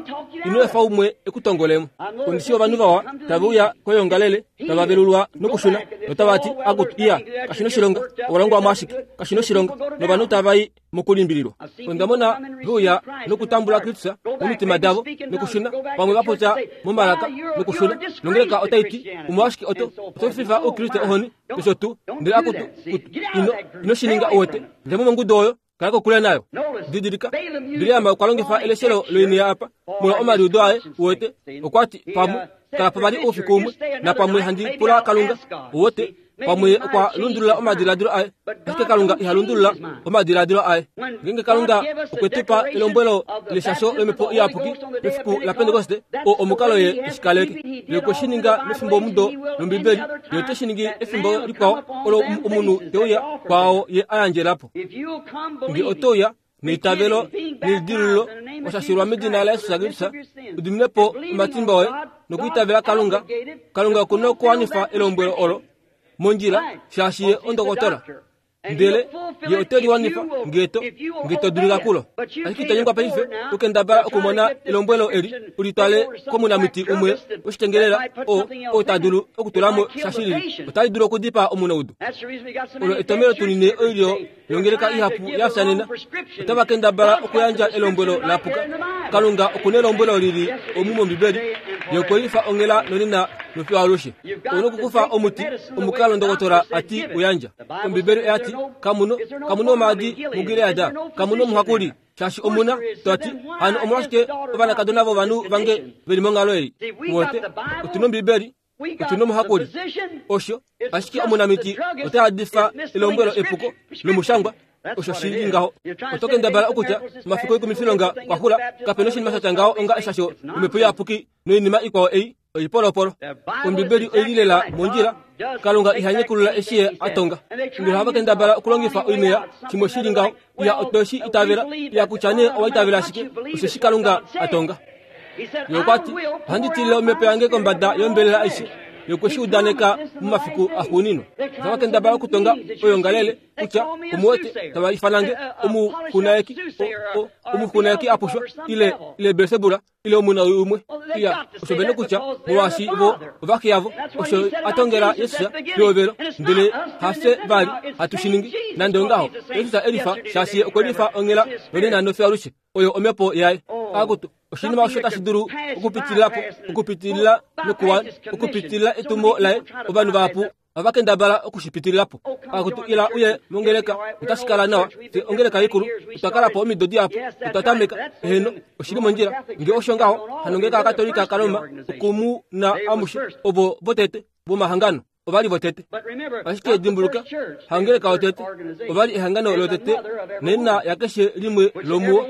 ino efa umwe e ku tongole mo. Ondi shii ovanhu vawa tave uya koyoongalele, tava velulwa nokushuna, notava ti, Akutu, iya, kashi noshilonga, owa longwa mo ashike, kashi noshilonga. Novanhu tava i mokulimbililwa. Onda mona ve uya nokutambula Kristus momitima davo nokushuna, pamwe va popya momalaka nokushuna, nongeleka otai ti, Omolwashike oto, oto fifa Oukriste ohoni, nosho tuu. Ndele akutu, kutu, ino, ino shi ninga, uwete. Dja mo mongudu oyo, kala kokule nayo. Didilika, Bileam okwa longifa eleshelo loinea apa, molwa omaliudo aye, uwete. Okwa ti, Pamwe, kala po vali oufiku umwe, napamwe handi pula Kalunga, uwete. Pamwe okwa lundulula omadiladilo aye, ashike Kalunga iha lundulula omadiladilo aye. Ngeenge Kalunga okwe tu pa elombwelo leshasho lomhepo iyapuki mefiku laPentekoste, oo omukalo ye eshi kaleke. Ye okwe shi ninga mefimbomudo lOmbibeli, ye ote shi ningi efimbo likwao olo omunhu te uya kwaao ye a yandjela po. Nge oto uya neitavelo nelidilululo wa shashilwa medina laJesus Kristus, u dimine po omatimba oye nokwiitavela Kalunga, Kalunga oku na okuwanifa elombwelo olo mondjila, shaashi ye ondokotola. Ndele ye ote li wanifa nge to, nge to dulika kulo. Ashike ito nyengwa paife okukendabala okumona elombwelo eli u li twale komunamiti umwe woshitengelela oo, oo ta dulu okutula mo sha shilili. Otali dulu okudipaa omunaudu. Olo etomhelo tu nine oilyo yongeleka ihapu ya fya nena. Otava kendabala okuyandja elombwelo la puka. Kalunga oku nelombwelo li li omu mOmbibeli. Ye okwe lifa onghela nonena nofiyo alushe. Ou nokukufa omuti omukalo ndokotola a ti u yandja. Ombibeli oya ti, Kamu kamu nomaadi muGilead, kamu nomuhakuli, shaashi omu na, to ti, hano omolwashike ovanakadona vovanhu vange ve li monghalo ei? Uwete, otu nOmbibeli, otu nomuhakuli. Osho ashike omunamiti ota yadifa elombwelo epuko lomushangwa osho shi li ngaho. Oto kendabala okutya omafiku oikumifilonga okwa xula, kape noshinima sha tya ngaho onga eshasho lomhepo iyapuki noinima ikwao ei oipolopolo. Ombibeli oi li lela mondjila. Kalunga iha nyekulula eshi ye a tonga. Ndele ohava kendabala okulongifa oinea shimwe shi li ngaho. Iya otwe shi itavela, iya kutya nee owa itavela ashike, osheshi Kalunga a tonga. Ye okwa ti, Ohandi tilile omhepo yange kombada yombelela aishe. Ye okwe shi udaneka momafiku axuuninwa. Otava kendabala okutonga oyoongalele kutya omuwete tava ifana nge omuxunaeki, omuxunaeki a pushwa, ile, ile Belsebula, ile omuna umwe. Iya, osho vene kutya molwaashi vo ovaxe yavo, osho a tongela Jesus pehovelo, ndele hafye vali hatu shi ningi. Nande ongaho, Jesus e lifa shaashi ye okwe lifa onghela nonena nofiyo alushe. Oyo omhepo yaye. Akutu, oshinima osho tashi dulu okupitilila po, okupitilila nokuwa, okupitilila etumo laye, ovanhu vahapu ohava kendabala oku shi pitilila po. Akutu, ila uye mongeleka, otashi kala nawa. Fye ongeleka ikulu, otwa kala po omido dihapu, otwa tameka. Eheno, oshi li mondjila. Nge osho ngaho, hano ngeleka yaKatolika kaRoma, oku mu na amushe, ovo votete vomahangano. Ova li votete. Ashike dimbuluka, hangeleka yotete, ova li ehangano lotete nena yakeshe limwe lomuo,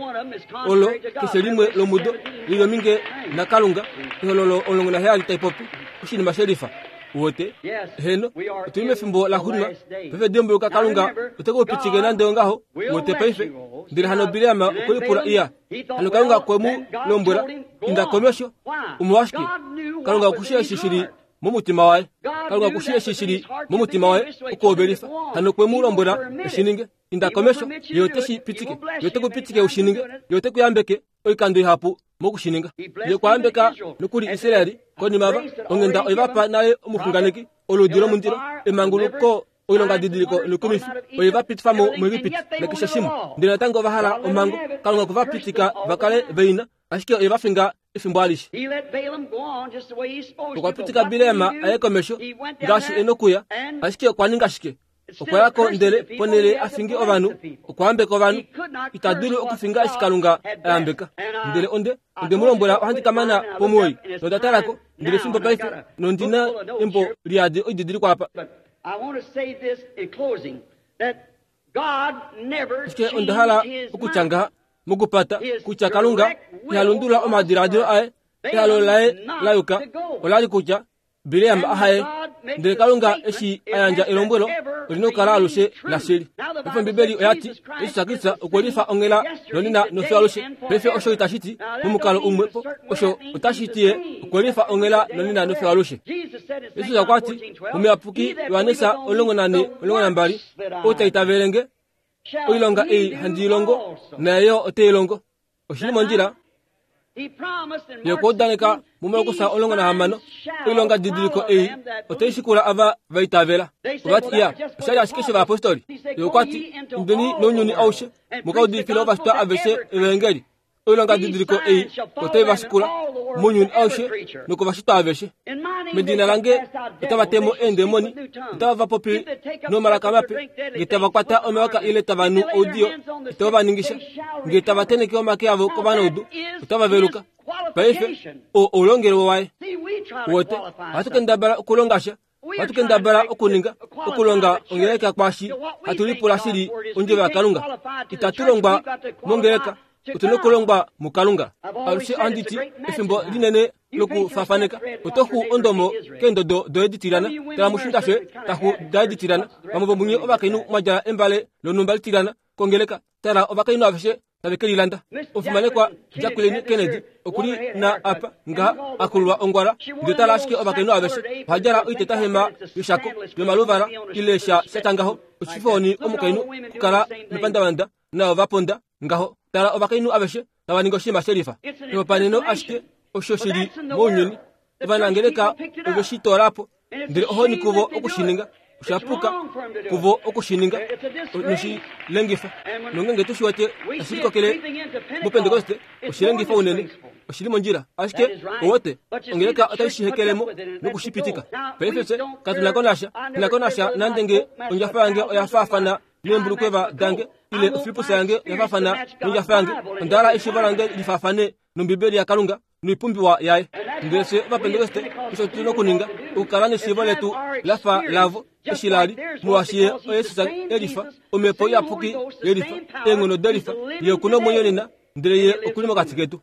olo keshe limwe lomudo li lominge naKalunga. Ehololo 17 tai popi oshinima shelifa. Uwete? Heno, otu li mefimbo la xuninwa. Paife dimbuluka, Kalunga ote ku pitike nande ongaho. Uwete paife? Ndele hano Bileam okwe lipula iya. Hano Kalunga okwe mu lombwela, Inda komesho. Omolwashike? Kalunga oku shii eshi shi li momutima waye. Kalunga oku shii eshi shi li momutima waye okuhovelifa. Hano okwe mu lombwela e shi ninge. Inda komesho, Ye ote shi pitike. Ye ote ku pitike u shi ninge. Ye ote ku yambeke oikando ihapu moku shi ninga. Ye okwa yambeka nokuli Israel konima va onghenda oye va pa nale omuxunganeki, oluudi lomundilo, emanguluko, oilongadidiliko noikumifi oye va pitifa mo muEgipiti nakeshe shimwe. Ndele natango ova hala omhango. Kalunga okwe va pitika va kale veina, ashike oye va finga efimbo alishe. Okwa pitika Bileam a ye komesho ngaashi e nokuya, ashike okwa ninga shike? Okwa ya ko ndele ponhele a finge ovanhu, okwa yambeka ovanhu. Ita dulu okufinga eshi Kalunga a yambeka. Ndele onde onde mu lombwela ohandi ka mana pomuwoi, nonda tala ko, ndele fimbo paife, nondi na embo liyadi oididilikwa apa. Ashike onda hala okutya ngaha, mokupata, kutya Kalunga iha lundulula omadiladilo aye. Ehalo laye la yuka ola li kutya Bileam a haye, ndele Kalunga eshi a yandja elombwelo oli nokukala alushe lashili. Paife Ombibeli oya ti, Jesus Kristus okwe lifa onghela nonena nofiyo alushe. Paife osho itashi ti momukalo umwe po, osho otashi ti ye okwe lifa onghela nonena nofiyo alushe. Jesus okwa ti mOmuyapuki Johannes 14:12, Ou ta itavele nge, oilonga ei handi i longo, naye yo ote i longo. Oshi li mondjila. Ye okwa udaneka muMarkus 16, oilonga didiliko ei otai shikula ava va itavela. Ova ti, Iya, osha li ashike shovayapostoli. Ye okwa ti, Indeni nounyuni aushe, mu ka udifile ovashitwa aveshe evaengeli. Oilonga didiliko ei otai va shikula mounyuni aushe nokovashitwa aveshe. Medina lange otava te mo eendemoni, otava va popi nomalaka mape, nge tava kwata omayoka ile tava nu oudiyo, itava va ningisha, nge tava tenheke omake avo kovanaudu, otava veluka. Paife, oo oulongelwe waye. Uwete, ohatu kendabala okulonga sha, ohatu kendabala okuninga, okulonga ongeleka kwaashi hatu lipula shili ondjovo yaKalunga. Itatu longwa mongeleka, otu na okulongwa muKalunga. Alushe ohandi ti, efimbo linene lokufafaneka, oto xu ondomo keendodo doye ditilyana, tala mushinda shoye ta xu daye ditilyana. Vamwe vomunye ovakainhu mwa djala embale lonhumba litilyana kongeleka, tala ovakainhu aveshe tave ke lilanda. Omufimanekwa Jacqueline Kennedy oku li na apa ngaha a kululwa ongwala, ndele tala ashike ovakainhu aveshe oha djala oitetahema yoshako yomaluvala ile sha sha tya ngaho. Oshifooni omukainhu okukala mepandavanda nao va ponda ngaho. Tala ovakainhu aveshe tava ningi oshinima shelifa. Ehopaneno ashike osho shi li mounyuni. Ovanangeleka ove shi toola po, ndele ohoni kuvo oku shi ninga. Osha puka kuvo oku shi ninga noshilengifa. Nongenge tu shi wete tashi likokele mOpentekoste, oshilengifa unene. Oshi li mondjila. Ashike, owote, ongeleka otai shi hekele mo noku shi pitika. Paife fye katu na ko nasha, na ko nasha nande nge ondjafa yange oya faafana neembulukweva dange, ile ofilipusa yange oya faafana nondjafa yange. Onda hala eshiivo lange li faafane nOmbibeli yaKalunga noipumbiwa yaye. Ndele fye Ovapentekoste osho tu nokuninga, okukala neshiivo letu la fa lavo eshi la li, molwaashi ye oYesus e lifa, Omhepo Iyapuki ye lifa, eenghono de lifa, Ye oku nomwenyo nena, ndele Ye oku li mokati ketu.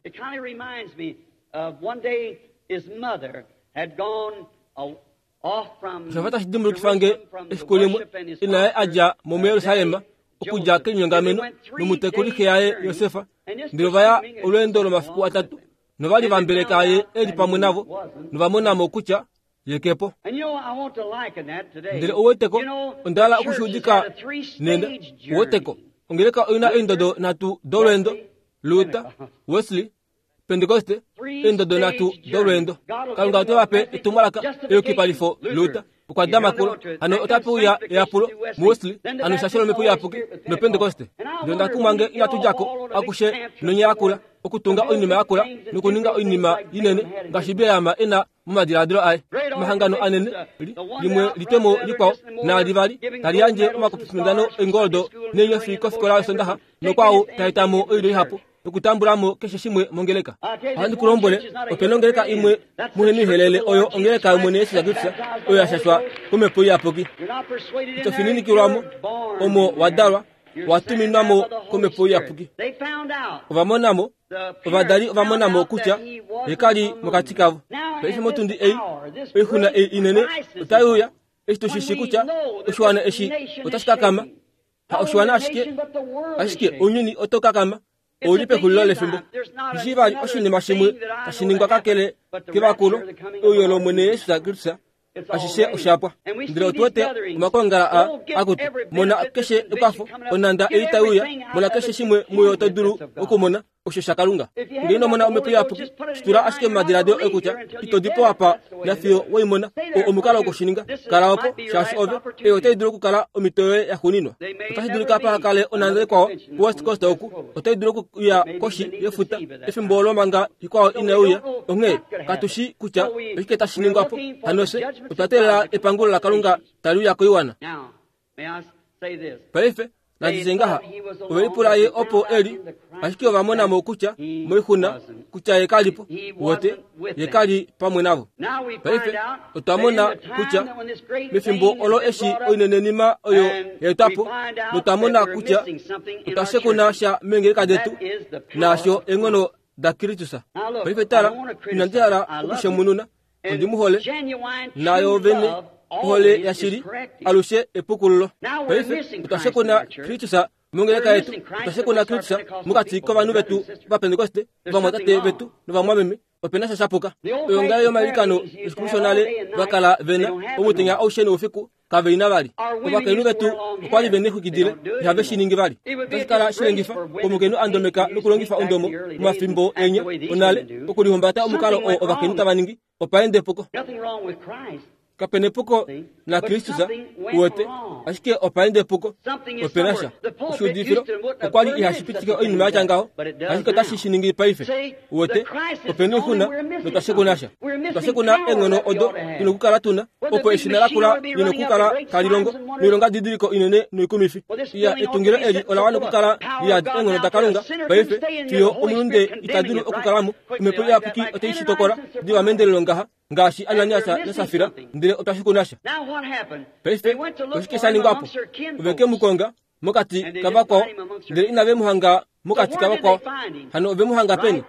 Osha fa tashi dimbulukifa nge efiku limwe ina yaye a dja mo muJerusalem okudja kelinyongameno nomutekuli xe yaye Josefa, ndele ova ya olweendo lomafiku atatu, nova li va mbeleka ye e li pamwe navo, nova mona mo kutya ye ke po. Ndele ou weteko, onda hala oku shi udika nena. Ou weteko, ongeleka oi na eendodo nhatu dolweendo, Luther, Wesley, Pentekoste, eendodo nhatu dolweendo. Kalunga ote va pe etumwalaka eyukipalifo Luther okwa dama kulo, hano otape uya eyapulo muWesley, hano eshasho lOmhepo Iyapuki noPentekoste. Ndele onda kumwa nge inatu dja ko akushe nonya yakula, okutunga oinima yakula nokuninga oinima inene ngaashi Bileam e na momadiladilo aye. Omahangano anene, limwe litwe mo likwao, naali vali tali yandje omakupifindano oingoldo neenyofi kofikola yOsondaxa nokwao ta eta mo oilyo ihapu nokutambula mo keshe shimwe mongeleka. Ohandi ku lombwele, ope na ongeleka imwe muhenihelele oyo ongeleka yOmwene Jesus Kristus oyo ya shashwa kOmhepo Iyapuki. Ito fininikilwa mo, omo wa dalwa, wa tuminwa mo kOmhepo Iyapuki. Ova mona mo, ovadali ova mona mo kutya ye ka li mokati kavo. Paife motundi ei, oixuna ei inene otai uya, eshi tu shi shii kutya oshiwana eshi otashi kakama. Ha oshiwana ashike, ashike ounyuni oto kakama. Ou li pexulilo lefimbo. Ndishi vali oshinima shimwe tashi ningwa kakele kevakulo, euyo lOmwene Jesus Kristus, ashishe osha pwa. Ndele otu wete omakongala a akutu, mona keshe ekwafo, onhanda ei tai uya, mona keshe shimwe muyo to dulu okumona, osho shaKalunga. Nge ino mona Omhepo Iyapuki, shi tula ashike momadiladilo oye kutya ito di po apa nafiyo we i mona. Oo omukalo woku shi ninga. Kala opo, shaashi ove, ei otai dulu okukala omhito yoye yaxuuninwa. Otashi dulika paha kale onhanda ikwao kuWest Coast oku, otai dulu okuya koshi yefuta efimbo olo manga ikwao inai uya. Onghee katu shii kutya oshike tashi ningwa po. Hano fye otwa teelela epangulo laKalunga tali uya koiwana. Paife, nandi tye ngaha, ove lipula ye opo e li, ashike ova mona mo kutya moixuna kutya ye ka li po. Wote, ye ka li pamwe navo. Paife, otwa mona kutya mefimbo olo eshi oinenenima oyo ya etwa po, notwa mona kutya otwa shekuna sha meengeleka detu, naasho eenghono daKristus. Paife tala, inandi hala okushemununa, ondi mu hole, nayo vene ohole yashili alushe epukululo. Paife otwa shekuna Kristus mongeleka yetu, otwa shekuna Kristus mokati kovanhu vetu Ovapentekoste, ovamwatate vetu novamwameme. Ope na sha shapuka. Oyoongale yomailikano efiku shonale va kala ve na omutenya aushe noufiku kave ina vali. Ovakainhu vetu okwa li ve nexwikidile ihave shi ningi vali. Otashi kala shilengifa komukainhu a ndomeka nokulongifa ondomo momafimbo enya onale okulihumbata omukalo oo ovakainhu tava ningi opa ende epuko. Kape na epuko naKristus, uwete, ashike opa ende epuko. Ope na sha. Oshiudifilo okwa li ihashi pitike oinima ya tya ngaho, ashike otashi shi ningi paife. Uwete, ope na oixuna notwa shekuna sha. Otwa shekuna eenghono odo tu na okukala tu na, opo eshina lakula li na okukala tali longo noilongadidiliko inene noikumifi. Iya, etungilo eli ola wana okukala li yadi eenghono daKalunga paife, fiyo omulunde ita dulu okukala mo. Omhepo Iyapuki otai shi tokola diva meendelelo ngaha, ngaashi Ananias naSafira, ndele otwa shekuna sha. Paife, oshike sha ningwa po? Ove ke mu konga mokati kavakwao, ndele inave mu hanga mokati kavakwao. Hano ove mu hanga peni?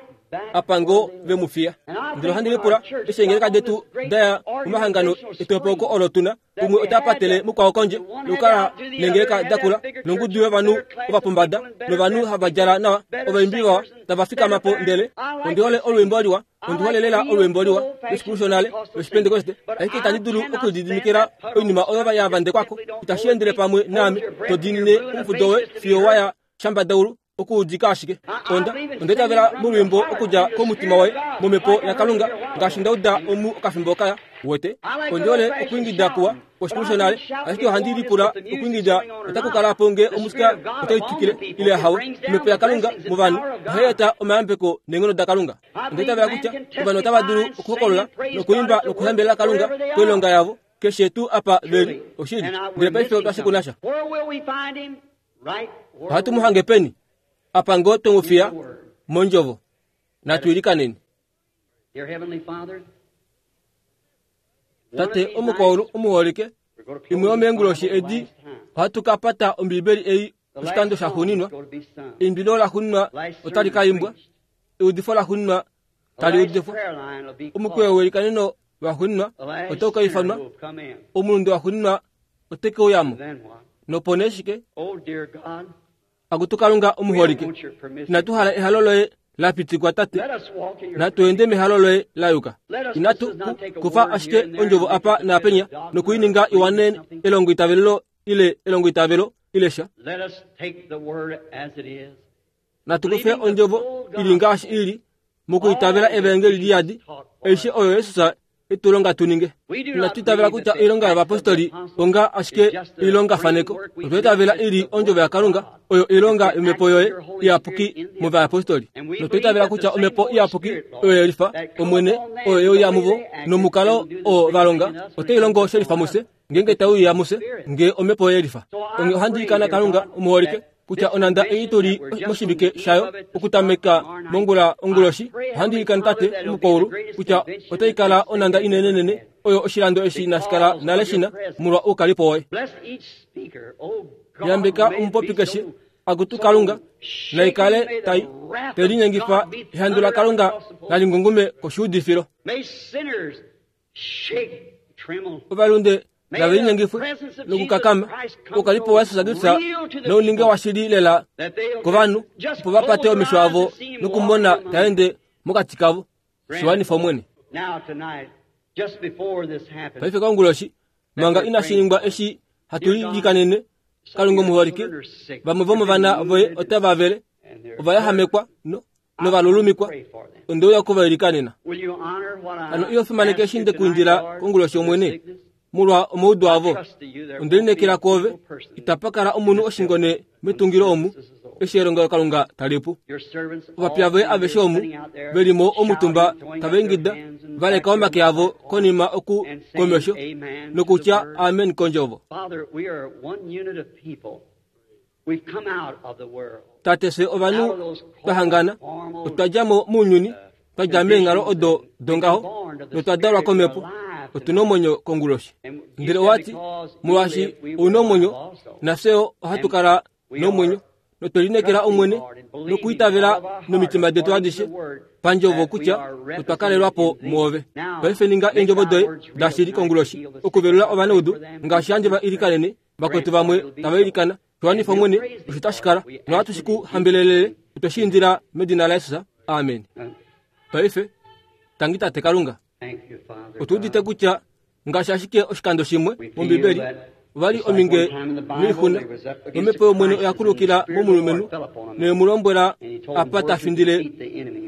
Apa ngoo ve mu fiya. Ndele ohandi lipula eshi eengeleka detu da ya momahangano etopoko olo tu na, umwe ota patele mukwao kondje nokukala neengeleka da kula nongudu yovanhu ovapombada novanhu hava djala nawa, ovaimbi vawa tava fikama po ndele ondi hole olwiimbo liwa ondi hole lela olwiimbo liwa lweshikulu shonale lwoshipentekoste ashike itandi dulu okulididimikila oinima oyo ya vandekwako itashi endele pamwe naame to diinine omufudo woye fiyo wa ya shambadaulu okuudika ashike onda onda itavela molwiimbo okudja komutima waye momhepo yakalunga ngaashi nda uda omu okafimbo kaya. Wete? Ondi hole okwiingida kuwa kwoshikulu shonale, ashike ohandi lipula okwiingida otaku kala po nge omusika otai twikile ile hawe. Omhepo yaKalunga movanhu ohai eta omayambeko neenghono daKalunga. Onda itavela kutya ovanhu otava dulu okuhokolola nokuimba nokuhambelela Kalunga koilonga yavo keshe tuu apa ve li. Oshili. Ndele paife otwa shikuna sha. Ohatu mu hange peni? Apa ngoo twe mu fiya mondjovo. Natu ilikaneni. Tate omukwaulu omuholike, imwe yomeenguloshi edi ohatu ka pata Ombibeli ei oshikando shaxuuninwa. Eimbilo laxuuninwa otali ka imbwa, eudifo laxuuninwa tali udifwa, omukweyo welikaneno waxuuninwa otau ka ifanwa, omulunde waxuuninwa ote ke uya mo. Nopo nee shike? Akutu Kalunga omuholike, inatu hala ehalo loye la pitikwa Tate, natu ende mehalo loye la yuka. Inatu ku kufa ashike ondjovo apa naapenya noku i ninga i wane elongoitavelelo ile elongoitavelo ile sha. Natu kufe ondjovo i li ngaashi i li, mokwiitavela evaengeli liyadi, aishe oyo Jesus e tu longa tu ninge. Inatu itavela kutya oilonga yovapostoli onga ashike oilongafaneko. Otwa itavela i li ondjovo yaKalunga, oyo oilonga yomhepo yoye iyapuki movayapostoli. Notwa itavela kutya omhepo iyapuki oyo ye lifa Omwene, oyo ye uya muvo, nomukalo oo va longa otai longo she lifa mufye, ngeenge tai uya mufye, nge omhepo ye lifa. Onghee ohandi ilikana Kalunga omuholike, kutya onhanda ei tu li moshivike shayo okutameka mongula onguloshi, ohandi ilikana Tate omukwaulu kutya otai kala onhanda inenenene oyo oshilando eshi inashi kala nale shi na, molwa oukalipo woye. Yambeka omupopi keshe, akutu Kalunga, nai kale tai te linyengifa ehandu laKalunga nali ngungume koshuudifilo. Ovalunde nave linyengifwe nokukakama oukalipo waJesus Kristus nouninge washili lela kovanhu opo va pate omesho avo nokumona ta ende mokati kavo. Shi wanifa Omwene. Paife konguloshi, manga inashi ningwa eshi hatu lilikanene, Kalunga omuholike, vamwe vomovana voye otava vele, ova yahamekwa no, novalulumikwa, onde uya oku va ilikanena. Hano iho fimaneke eshi nde ku indila konguloshi Omwene, molwa omaudu avo? Onde lineekela kwoove, itapa kala omunhu oshingone metungilo omu, eshi elongelokalunga tali pu. Ovapiya voye aveshe omu ve li mo omutumba tava ingida, va leka omake avo konima oku komesho, nokutya amen kondjovo. Tate, fye ovanhu twa hangana, otwa dja mo mounyuni, twa dja meenghalo odo dongaho, notwa dalwa komhepo. Otu na omwenyo konguloshi. Ndele owa ti, molwaashi ou na omwenyo, nafye yo ohatu kala nomwenyo, notwe lineekela Omwene nokwiitavela nomitima detu adishe pandjovo kutya otwa kalelwa po mwoove. Paife ninga eendjovo doye dashili konguloshi, okuvelula ovanaudu ngaashi handi va ilikanene Vakwetu vamwe tava ilikana, Tu wanifa Omwene, osho tashi kala. Nohatu shi ku hambelelele. Otwe shi indila medina laJesus. Amen. Paife, tangi Tate Kalunga. Otu udite kutya ngaashi ashike oshikando shimwe mOmbibeli, ova li ominge noixuna, nomhepo yOmwene oya kulukila momulumenhu noye mu lombwela apa ta findile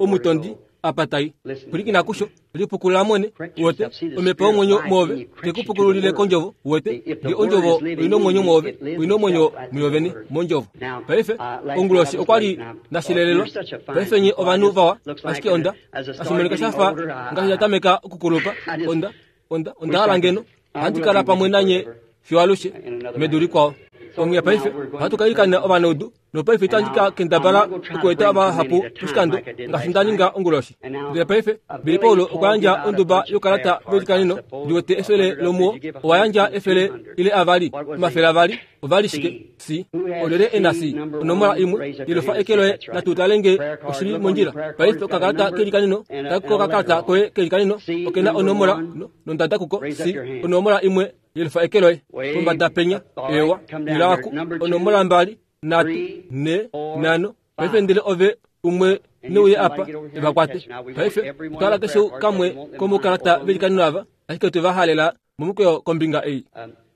omutondi apa tai. Pwilikina kusho. Lipukulula mwene, uwete, omhepo yomwenyo mwoove te ku pukululile kondjovo, uwete, nge ondjovo oi nomwenyo mwoove, oi nomwenyo muyo vene, mondjovo. Paife, onguloshi okwa li nda shilelelwa. Paife nye ovanhu vawa, ashike onda, tashi monika sha fa ngaashi nda tameka okukulupa, onda, onda, onda hala ngeno Ohandi kala pamwe nanye fiyo alushe, medu likwao. Onghee paife ohatu ka ilikana ovanaudu, nopaife itandi ka kendabala okueta vahapu poshikando ngaashi nda ninga onguloshi. Ndele paife, Billy Paul okwa yandja onduba youkalata veilikaneno, ndi wete efele lomuwo, owa yandja efele ile avali, 200, ova li shike? C. Olyelye e na C? Onomola imwe. Yelufa eke loye, natu tale nge oshi li mondjila. Paife okakalata keilikaneno, tala kokakalata koye keilikaneno, oke na onomola no, nondada kuko. C. Onomola imwe. Yelufa eke loye. Pombada penya. Ewa. Ila aku. Onomola mbali, nhatu, nhe, nhano. Paife ndele ove umwe neuye apa e va kwate. Paife, otwa hala keshe kamwe komoukalata veilikaneno ava, ashike otwe va halela momukweyo kombinga ei.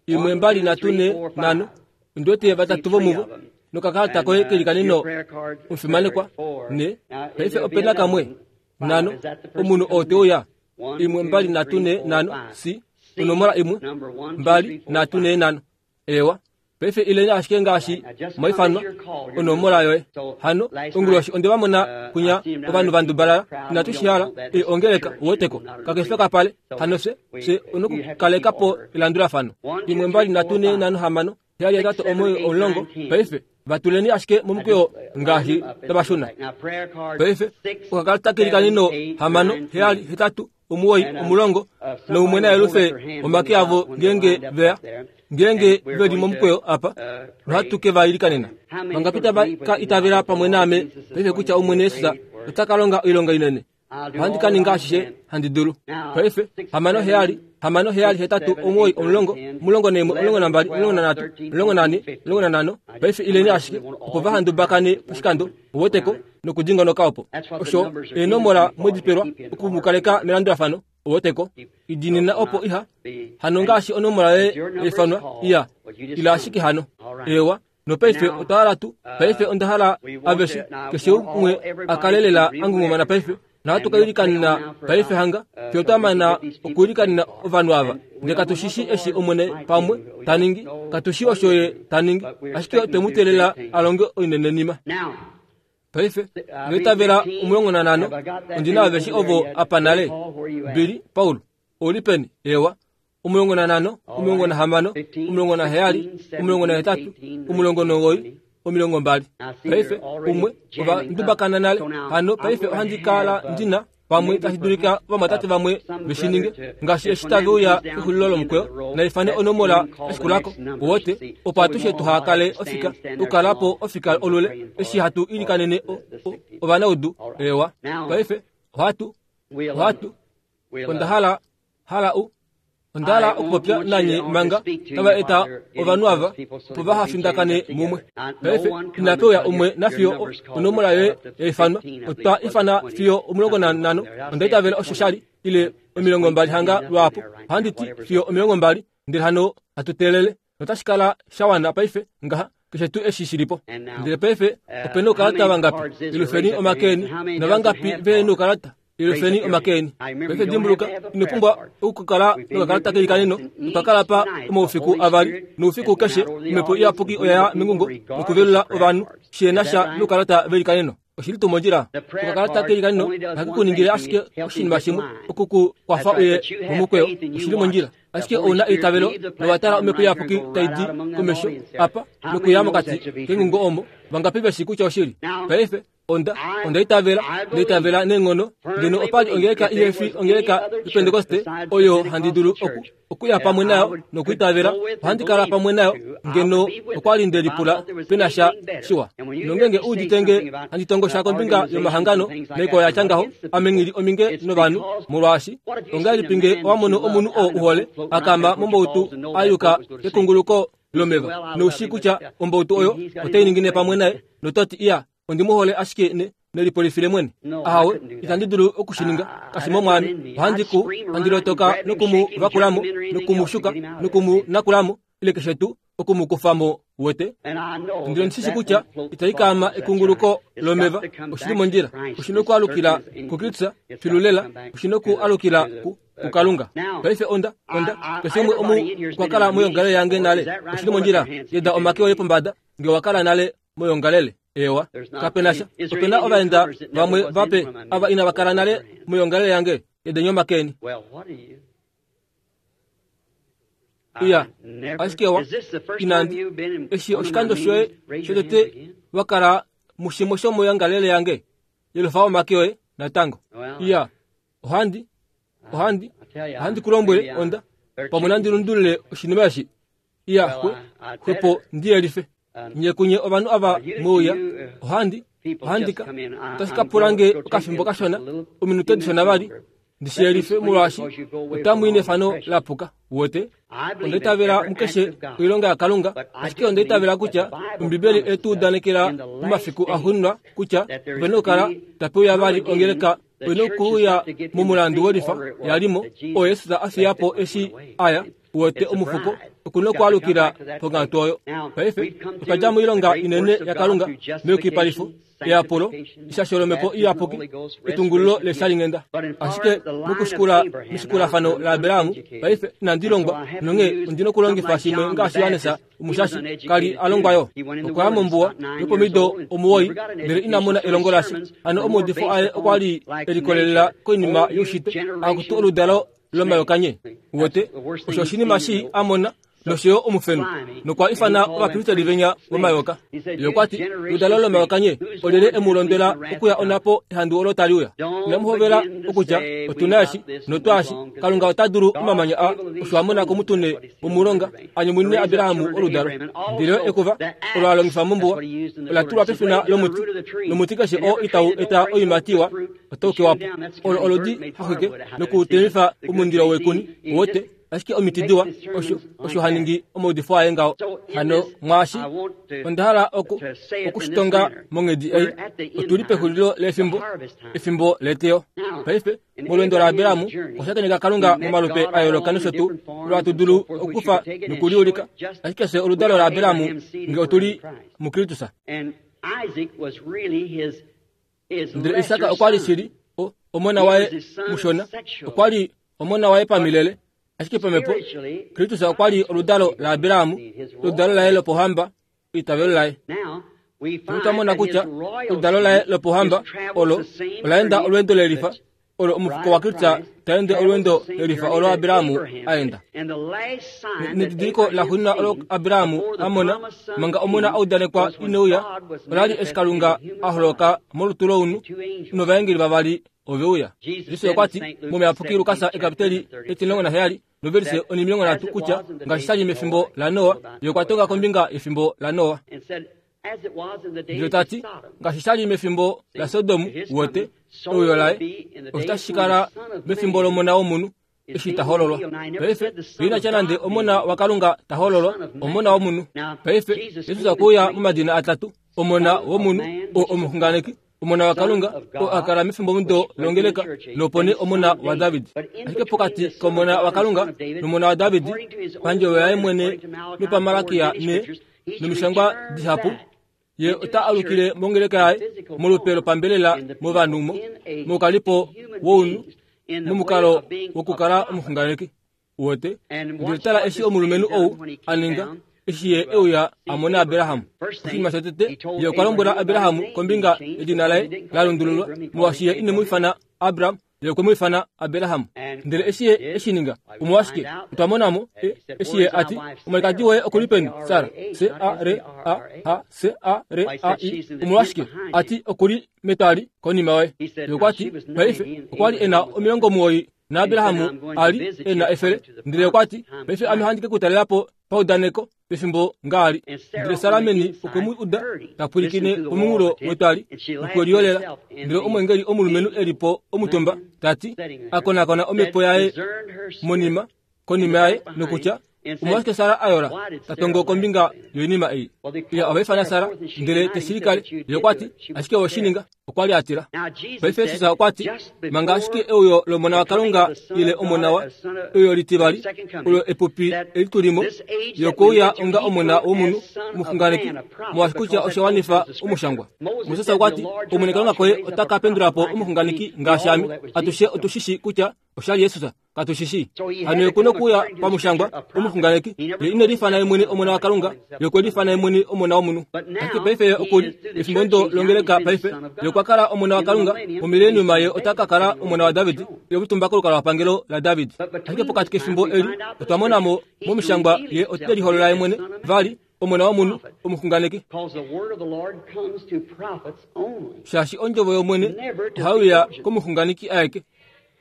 Imwe, mbali, nhatu, nhe, nhano. Ondi wete vatatu vomuvo. Nokakalata koye kelikaneno, omufimanekwa. Nhe. Paife ope na kamwe. Nhano. Omunhu oo te uya. 1 2 3 4 5 C onomola 1 2 3 4 Ewa paife ileni ashike ngaashi mwaifanwa onomola yoye. Hano onguloshi onde va mona kunya ovanhu va ndubalala inatu shi hala e ongeleka uweteko kakefe kapale. Hano fye fye onokukaleka po elandulafano. 1 2 3 4 6 7 8 9 10. Paife vatuleni ashike momukweyo ngaashi tava shuna. Paife okakalata keli kanino 6 7 8 9 10 noumwe nayelufe omake avo ngeenge veya ngeenge ve li momukweyo apa nohatu ke va ilikanena. Vangapi tava ka itavela pamwe naame paife kutya Omwene Jesus ota ka longa oilonga inene? Ohandi ka ninga ashishe handi dulu. Paife 6 7 6 7 8 9 10 11 12 13 14 15. Paife ileni ashike opo va handubakane poshikando uweteko nokudingonoka opo. Osho eenomola mwedipelwa oku mu kaleka melandulafano uweteko. Idinina opo iha hano ngaashi onomola yoye yaifanwa iya ila ashike hano. Ewa nopaife otwa hala tu paife onda hala aveshe keshe umwe a kale lela a ngungumana paife. Nohatu ka ilikanena paife hanga fiyo twa mana okuilikanena ovanhu ava. Ndele katu shi shii eshi Omwene pamwe ta ningi, katu shii osho Ye ta ningi, ashike otwe mu teelela a longe oinenenima. Paife, ngeitavela 15, ondi na aveshe ovo apa nale. Billy, Paul, ou li peni? Ewa. 15, 16, 17, 18, 19, 20. Paife, umwe, ova ndubakana nale. Hano paife ohandi kala ndi na pamwe tashi dulika ovamwatate vamwe ve shi ninge, ngaashi eshi tave uya kexulilo lomukweyo, naifane onomola ya shikulako, uwete, opo atushe tuha kale ofika, okukala po ofika olule, eshi hatu ilikanene o, o, ovanaudu. Ewa. Paife, ohatu, ohatu, onda hala, hala u, Onda hala okupopya nanye manga tava eta ovanhu ava opo vaha findakane mumwe. Paife, inape uya umwe nafiyo onomola yoye ya ifanwa. Otwa ifana fiyo 15, onda itavela osho sha li, ile 20 hanga lwaapo. Ohandi ti fiyo 20, ndele hano hatu teelele. Notashi kala sha wana paife ngaha, keshe tuu eshi shi li po. Ndele paife, ope noukalata vangapi? Yelufeni omake eni. Navangapi vehe noukalata? Yelufeni omake eni. Paife dimbuluka, ino pumbwa okukala nokakalata kelikaneno. Otwa kala pa omaufiku avali, noufiku keshe Omhepo Iyapuki oya ya mengungo nokuvelula ovanhu shi na sha noukalata velikaneno. Oshi li tuu mondjila? Okakalata kelikaneno ohake ku ningile ashike oshinima shimwe, oku ku kwafa uye momukweyo. Oshi li mondjila. Ashike ou na eitavelo nowa tala Omhepo Iyapuki tai di komesho apa nokuya mokati kengungo omo, vangapi ve shii kutya oshili? Paife, Onda, onda itavela, nda itavela neenghono, ngeno opa li ongeleka ihe fi ongeleka yOpentekoste oyo handi dulu oku, okuya pamwe nayo nokuitavela, ohandi kala pamwe nayo, ngeno okwa li nde lipula pe na sha shiwa. Nongeenge u udite nge handi tongo sha kombinga yomahangano naikwao ya tya ngaho, ame nghi li ominge novanhu, molwaashi ongahelipi nge owa mono omunhu oo u hole a kaama mombautu a yuka kekunguluko lomeva, nou shii kutya ombautu oyo otai ningine pamwe naye, noto ti, Iya, Ondi mu hole ashike ne, nelipolifile mwene. Ahawe, itandi dulu oku shi ninga. Kashi mo mwaame. Ohandi ku, handi lotoka noku mu vakula mo, noku mu shuka, noku mu nakula mo, ile keshe tuu, oku mu kufa mo, uwete. Ndele ondi shi shi kutya itai kaama ekunguluko lomeva. Oshi li mondjila. Oshi noku alukila kuKristus, filu lela. Oshi noku alukila ku, kuKalunga. Paife onda, onda, keshe umwe omu okwa kala moyongalele yange nale. Oshi li mondjila. Yeda omake oye pombada, nge owa kala nale moyongalele. Eewa, kape na sha. Ope na ovaenda vamwe vape ava inava kala nale moyongalele yange. Yedeni omake eni. Iya, ashike wa, inandi. Eshi oshikando shoye shotete wa kala mushimwe shomoyongalele yange, yelufa omake oye natango. Iya, ohandi, ohandi, ohandi ku lombwele, onda, pamwe nandi lundulule oshinima eshi. Iya, xwe, xwepo ndi yelife. Nye kunye ovanhu ava mweuya, ohandi, ohandi ka, otashi ka pula nge okafimbo kashona, ominute dishona vali, ndi shi yelife, molwaashi otamu i nefano la puka. Uwete? Onda itavela mukeshe oilonga yaKalunga, ashike onda itavela kutya Ombibeli oye tu udanekela momafiku axuuninwa kutya ope na okukala tape uya vali ongeleka oye na okuuya momulandu wolifa ya li mo, oo Jesus a fiya po eshi a ya. Uwete omufuko oku na okwaalukila ponghatu oyo. Paife otwa dja moilonga inene yaKalunga meyukipalifo, eyapulo, eshasho lOmhepo Iyapuki, etungululo leshalinghenda. Ashike mokushikula meshikulafano laAbraham, paife inandi longwa, nonghee ondi na okulongifa shimwe ngaashi Johannes Omushashi ka li a longwa yo. Okwa ya mombuwa yopomido 9 ndele ina mona elongo lasha. Hano omaudifo aye okwa li e likolelela koinima youshitwe, akutu oludalo lomayokanye. Uwete, osho oshinima shii a mona nosho yo omufenu, nokwa ifana ovapristeli venya vomayoka. Ye okwa ti, Oludalo lomayokanye, olyelye e mu londwela okuya onhapo ehandu olo tali uya? Inamu hovela okutya, Otu na eshi, notwaashi. Kalunga ota dulu omamanya aa, osho a mona komutune womulonga, a nyumunine Abraham oludalo. Ndele ekuva olo a longifa mombuwa ola tulwa pefina lomuti, nomuti keshe oo itau eta oiimati iwa otau kewa po. Olo oludi haxwike nokutemifa omundilo weekuni, uwete, ashike omiti diwa, osho, osho ha ningi omaudifo aye ngaho. Hano mwaashi, onda hala oku, oku shi tonga monghedi ei, otu li pexulilo lefimbo, efimbo leteyo. Paife, molweendo laAbraham, okwa shakeneka Kalunga momalupe a yooloka nosho tuu, olo hatu dulu okukufa nokuliulika. Ashike fye oludalo laAbraham nge otu li muKristus. Ndele Isak okwa li shili o, omona waye mushona, okwa li omona waye pamilele, ashike pamhepo Kristus okwa li oludalo laAbraham, oludalo laye lopohamba, eitavelo laye. Otwa mona kutya oludalo laye lopohamba olo ola enda olweendo lelifa olo omufuko waKristus ta ende olweendo lelifa olo Abraham a enda. Nedidiliko laxuuninwa olo Abraham a mona manga omona a udanekwa ine uya ola li eshi Kalunga a holoka molutu lounhu novaengeli vavali ove uya. Jesus okwa ti mOmuyapuki Lukas ekapiteli 17 novelise 30 kutya ngaashi sha li mefimbo laNoa, ye okwa tonga kombinga yefimbo laNoa. Ndele ta ti, ngaashi sha li mefimbo laSodom, wote, euyo laye, osho tashi kala mefimbo lOmona wOmunhu, eshi ta hololwa. Paife, ina tya nande Omona waKalunga ta hololwa, Omona wOmunhu. Paife, Jesus okwe uya momadina atatu, Omona wOmunhu, oo omuxunganeki, Omona waKalunga, oo a kala mefimbomudo longeleka, nopo nee Omona waDavid. Ashike pokati kOmona waKalunga nOmona waDavid, pandjovo yaye mwene nopaMalakia ne nomishangwa dihapu, ye ota alukile mongeleka yaye molupe lopambelela movanhu mo, moukalipo wounhu, momukalo wokukala omuxunganeki. Uwete? Ndele tala eshi omulumenhu ou a ninga, eshi ye e uya a mona Abraham. Oshinima shotete, ye okwa lombwela Abraham kombinga yedina laye la lundululwa, molwaashi ye ine mu ifana Abram, ye okwe mu ifana Abraham. Ndele eshi ye e shi ninga, omolwashike, otwa mona mo, e, eshi ye a ti, Omwalikadi woye oku li peni, Sara? S-A-R-A-H, S-A-R-A-I. Omolwashike, a ti, oku li metwali konima yoye. Ye okwa ti, Paife, okwa li e na 90 naAbraham a li e na 100. Ndele okwa ti, Paife ame ohandi ke ku talela po paudaneko pefimbo ngaali. Ndele Sara meni okwe mu uda ta pwilikine pomunghulo wetwali nokwe liyolela. Ndele omweengeli omulumenhu e li po omutumba ta ti, a konakona omhepo yaye monima konima yaye nokutya, Omolwashike Sara a yola ta tongo kombinga yoinima ei? Iya, ova ifana Sara, ndele te shi likale. Ye okwa ti, Ashike owe shi ninga. Okwa li a tila. Paife Jesus okwa ti, Manga ashike euyo lOmona waKalunga ile Omona wa, euyo litivali, olo epupi eli tu li mo, Ye okwe uya onga Omona womunhu, omuxunganeki, molwaashi kutya osha wanifa Omushangwa. Moses okwa ti, Omwene Kalunga koye ota ka pendula po omuxunganeki ngaashi ame. Atushe otu shi shii kutya osha li Jesus. Katu shi shii. Hano ye okuna okuuya pamushangwa, omuxunganeki. Ye ine liifana ye mwene Omona waKalunga, ye okwe liifana ye mwene Omona womunhu. Ashike paife ye oku li efimbo ndo longeleka paife. Ye okwa kala Omona waKalunga, momileniuma ye ota ka kala Omona waDavid, ye omutumba kolukalwapangelo laDavid. Ashike pokati kefimbo eli, otwa mona mo momishangwa ye ote liholola ye mwene, vali, Omona womunhu, omuxunganeki. Shaashi ondjovo yOmwene ohai uya komuxunganeki aeke.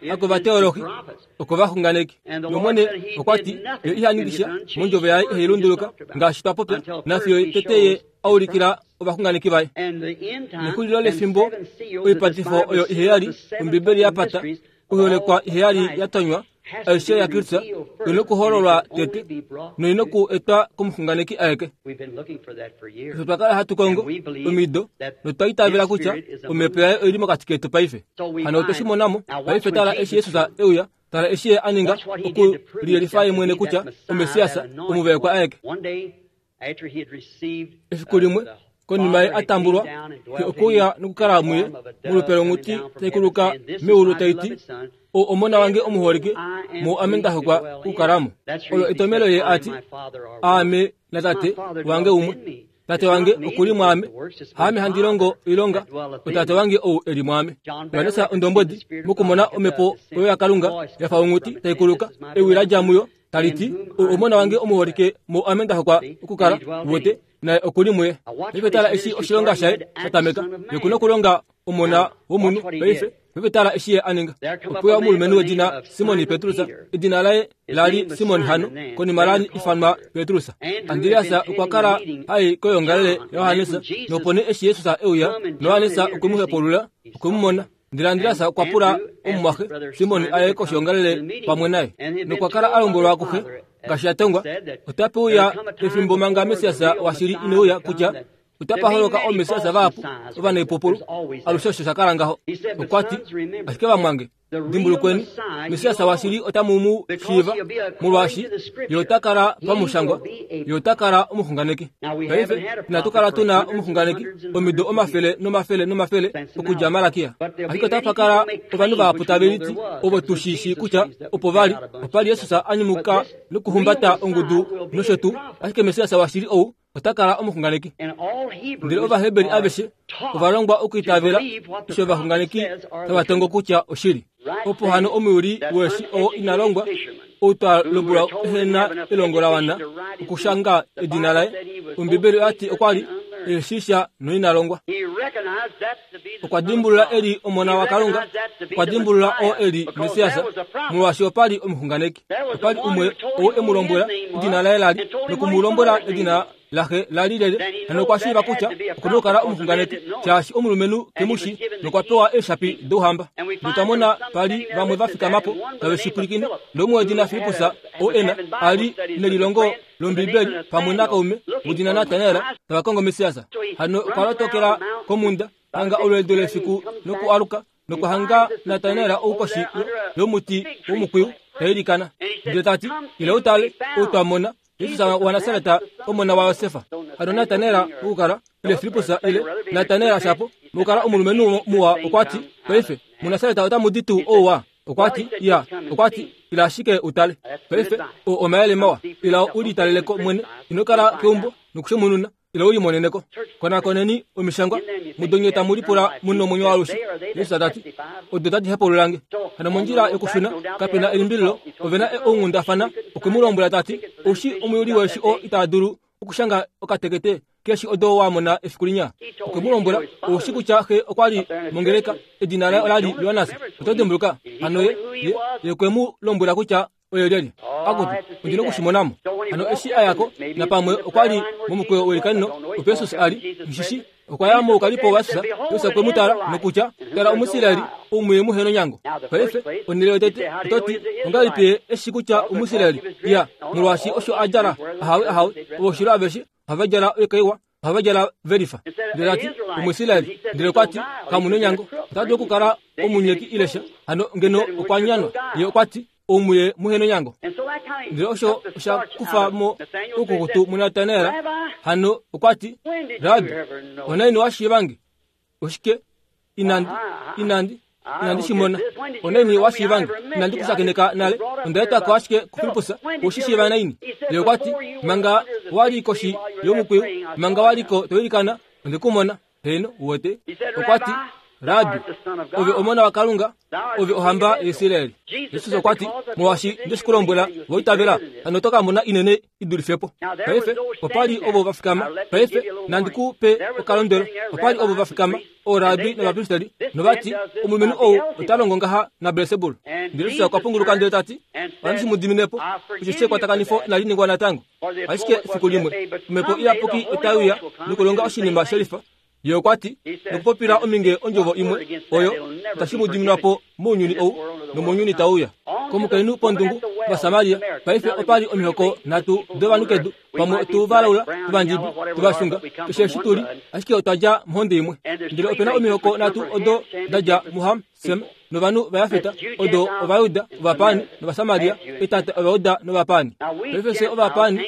Hakovateolohi, okovaxunganeki. NOmwene okwa ti, Ye iha ningi sha mondjovo yaye ihai lunduluka, ngaashi twa popya, nafiyo tete ye a ulikila ovaxunganeki vaye. Nexulilo lefimbo, oipatifo oyo iheyali, Ombibeli ya pata, oiholekwa iheyali ya tonywa, Aishe yaKristus oi na okuhololwa tete noi na oku etwa komuxunganeki aeke. Osho twa kala hatu kongo omido notwa itavela kutya omhepo yaye oi li mokati ketu paife. Hano otwe shi mona mo. Paife tala eshi Jesus e uya, tala eshi ye a ninga oku liyelifa ye mwene kutya oMessias omuvaekwa aeke. Efiku limwe konima ye a tambulwa, xe okwe uya nokukala muye molupe longhuti tai kuluka meulu tai ti, Ou omona wange omuholike, mu ame nda hokwa okukala mo. Olo etomelo ye a ti, Aame naTate wange umwe. Tate wange oku li mwaame, haame handi longo oilonga, oTate wange ou e li mwaame. Johannes ondombwedi mokumona omhepo oyo yaKalunga ya fa onghuti tai kuluka, ewi la dja muyo tali ti, Ou omona wange omuholike, mu ame nda hokwa okukala. Uwete, naye oku li muye. Paife tala eshi oshilonga shaye sha tameka. Ye oku na okulonga omona womunhu paife. Paife tala eshi ye a ninga. Ope uya omulumenhu wedina Simon Petrus, edina laye la li Simon hano, konima la ifanwa Petrus. Andreas okwa kala ha i koyoongalele yaJohannes, nopo nee eshi Jesus e uya, Johannes okwe mu hepulula, okwe mu mona. Ndele Andreas okwa pula omumwaxe Simon a ye koshoongalele pamwe naye, nokwa kala a lombwelwa kuxe ngaashi ya tongwa, Otape uya efimbo manga Messias washili ine uya kutya otapa holoka oomessias vahapu ovanaipupulu. Alushe osho sha kala ngaho. Okwa ti, Ashike vamwange, Dimbulukweni, Messias washili otamu mu shiiva, molwaashi Ye ota kala pamushangwa, Ye ota kala omuxunganeki. Paife, inatu kala tu na omuxunganeki omido omafele nomafele nomafele okudja Malakia. Ashike otapa kala ovanhu vahapu tave liti ovo tu shi shii kutya opo va li, opa li Jesus a nyumuka nokuhumbata ongudu nosho tuu, ashike Messias washili ou ota kala omuxunganeki. Ndele Ovaheberi aveshe ova longwa okwiitavela osho ovaxunganeki tava tongo kutya oshili. Opo hano omuyuli weeshi oo ina longwa, ou twa lombwelwa ehe na elongo la wana okushanga edina laye, Ombibeli oya ti okwa li ehe shii sha noina longwa. Okwa dimbulula e li Omona waKalunga, okwa dimbulula oo e li Messias, molwaashi opa li omuxunganeki. Opa li umwe ou e mu lombwela edina laye la li, noku mu lombwela edina laxe la li lele, hano okwa shiiva kutya oku na okukala omuxunganeki, shaashi omulumenhu ke mu shii, nokwa pewa eeshapi douhamba. Notwa mona pa li vamwe va fikama po tave shi pwilikine, noumwe wedina Filippus, ou e na, a li nelilongo lOmbibeli pamwe nakaume wedina Natanael tava kongo Messias. Hano okwa lotokela komhunda hanga olweedo lefiku nokualuka nokwa hanga Natanael ou koshi yomuti womukwiyu ta ilikana. Ndele ta ti, Ila u tale ou twa mona, Jesus waNasaret, omona waJosef. Hano Natanael okukala, ile Filippus ile Natanael shapo, mokukala omulumenhu muwa okwa ti, Paife, muNasaret otamu di tuu ouwa? Okwa ti, Ya. Okwa ti, Ila ashike u tale. Paife, oo omayele mawa. Ila u litalele ko mwene. Ino kala keumbo nokushemununa. Ila u limonene ko. Konakoneni Omishangwa, mudo nye tamu lipula mu nomwenyo waalushe. Jesus ta ti, Odo tadi hepaulula nge. Hano mondjila yokushuna, kape na elimbililo, ove na ounghundafana. Okwe mu lombwela ta ti, Ou shii omuyuli weeshi oo ita dulu okushanga okatekete keeshi odo wa mona efiku linya? Okwe mu lombwela, Ou shii kutya xe okwa li mongeleka, edina laye ola li Johannes. Oto dimbuluka? Hano ye, ye, ye okwe mu lombwela kutya oye lyelye. Akutu, ondi noku shi mona mo. Hano eshi a ya ko, napamwe okwa li momukweyo weilikanino, opo Jesus a li, nghi shi shii. Okwa ya moukalipo waJesus, Jesus okwe mu tala nokutya, Tala Omuisraeli, ou muye muhe nonyango. Paife, onhele yotete, oto ti, Ongahelipi ye e shii kutya Omuisraeli? Iya, molwaashi osho a djala, ahawe, ahawe, ovoshilo aveshe ohava djala oikaiwa, ohava djala ve lifa. Ndele ta ti, Omuisraeli. Ndele okwa ti, Kamu nonyango. Ota dulu okukala omunyeki ile sha. Hano ngeno okwa nyanwa. Ye okwa ti, Ou muye muhe nonyango. Ndele osho osha kufa mo oukukutu muNatanael. Hano okwa ti, Rabbi, onaini wa shiiva nge? Oshike? Inandi, inandi, inandi shi mona. Onaini wa shiiva nge? Inandi ku shakeneka nale. Onda etwa ko ashike kuFilippus. Ou shi shiiva naini? Ye okwa ti, Manga wa li koshi yomukwiyu, manga wa li ko to ilikana, onde ku mona. Heeno, uwete. Okwa ti, Rabbi, ove omona waKalunga, ove ohamba yaIsrael. Jesus okwa ti, Molwaashi nde shi ku lombwela, wa itavela, hano oto ka mona inene i dulife po. Paife, opa li ovo va fikama. Paife, nandi ku pe okalondwelo. Opa li ovo va fikama, oorabi novapristeli, nova ti, Omulumenhu ou ota longo ngaha naBelsebul. Ndele Jesus okwa punguluka ndele ta ti, Ohandi shi mu dimine po, osheshi ekwatakanifo inali ningwa natango. Ashike efiku limwe, Omhepo Iyapuki otai uya nokulonga oshinima shelifa. Ye okwa ti, Nokupopila ominge ondjovo imwe, oyo itashi mu diminwa po mounyuni ou nomounyuni tau uya. Komukainhu pondungu, Ovasamaria, paife opa li omihoko nhatu dovanhu kedu, pamwe otu valaula, tovandjibi, tovashunga, keshe eshi tu li, ashike otwa dja mohonde imwe. Ndele ope na omihoko nhatu odo da dja muHam, Sem novanhu vaJafet, odo Ovajuda, Ovapaani nOvasamaria, etata Ovajuda nOvapaani. Paife fye Ovapaani,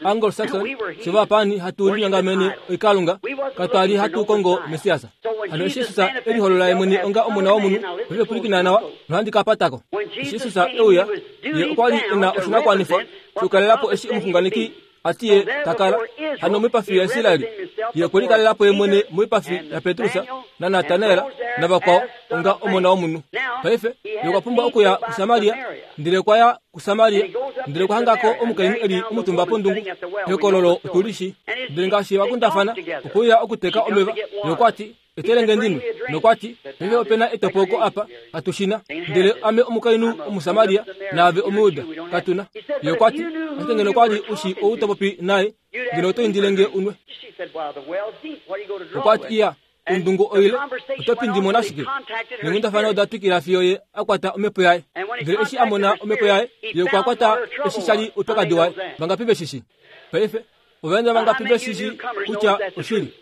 Anglo-Saxon, fye Ovapaani hatu linyongamene oikalunga, katwa li hatu kongo Messias. Hano eshi Jesus e liholola ye mwene onga Omona womunhu, paife pwilikina nawa, nohandi ka pata ko. Eshi Jesus e uya, Ye okwa li e na oshinakuwanifwa shokukalela po eshi omuxunganeki a ti ye ta kala hano moipafi yaIsraeli. Ye okwe likalela po ye mwene moipafi yaPetrus naNatanael navakwao onga Omona womunhu. Paife ye okwa pumbwa okuya kuSamaria, ndele okwa ya kuSamaria ndele okwa hanga ko omukainhu e li omutumba pondungu. Ehokololo otu li shii. Ndele ngaashi va kundafana, okwe uya okuteka omeva, ye okwa ti, Etele nge ndi nwe. Nokwa ti, Paife ope na etopoko apa, katu shi na. Ndele ame omukainhu Omusamaria, naave Omujuda, katu na. Ye okwa ti, Ashike ngeno kwa li u shii ou to popi naye, ngeno oto indile nge u nwe. Okwa ti, Iya, ondungu oile, oto pindi mo nashike? Neenghundafana oda twikila fiyo ye a kwata omhepo yaye. Ndele eshi a mona omhepo yaye, ye okwa kwata eshi sha li oupyakadi waye. Vangapi ve shi shii? Paife, ovaenda vangapi ve shi shii kutya oshili?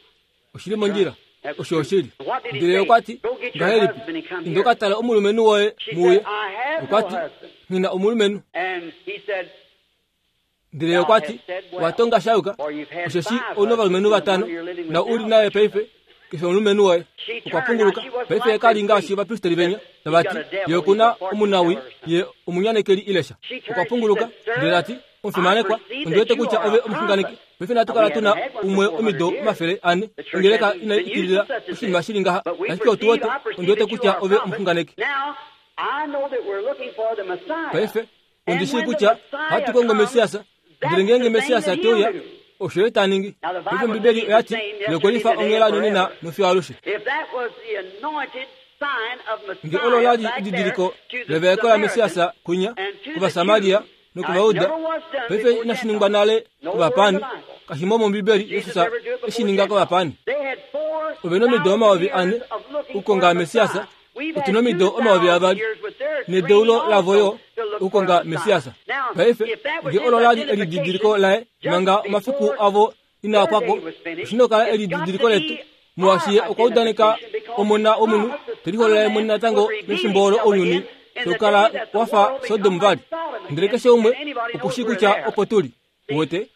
Oshi li mondjila. Osho oshili. Ndele ye okwa ti, Ngahelipi? Inda u ka tale omulumenhu woye mu uye. Okwa ti, Nghi na omulumenhu. Ndele ye okwa ti, Wa tonga sha yuka, osheshi ou na ovalumenhu vatano, na u li naye paife, ke fi omulumenhu woye. Okwa punguluka. Paife ye ka li ngaashi ovapristeli venya, tava ti, Ye oku na omunawii, ye omunyanekeli ile sha. Okwa punguluka, ndele ta ti, Omufimanekwa, ondi wete kutya ove omuxunganeki. Paife inatu kala tu na umwe omido 400, ongeleka inai ikilila oshinima shi li ngaha, ashike otu wete, ondi wete kutya ove omuxunganeki. Paife, ondi shii kutya ohatu kongo Messias, ndele ngeenge Messias te uya, osho ye ta ningi. Paife Ombibeli oya ti, Ye okwe lifa onghela nonena nofiyo alushe. Nge olo la li edidiliko levaeko laMessias kwinya, kOvasamaria, nokOvayuda, paife inashi ningwa nale kovapaani, kashi mo mOmbibeli Jesus e shi ninga kovapaani. Ove nomido 4000 okukonga Messias, otu nomido 2000 nedeulo lavo yo okukonga Messias. Paife, nge olo la li elididiliko laye manga omafiku avo inaa pwa ko, oshi na okukala elididiliko letu, molwaashi ye okwa udaneka Omona womunhu te liholola ye mwene natango mefimbo olo ounyuni tau kala wa fa Sodom vali. Ndele keshe umwe oku shii kutya opo tu li. Uwete?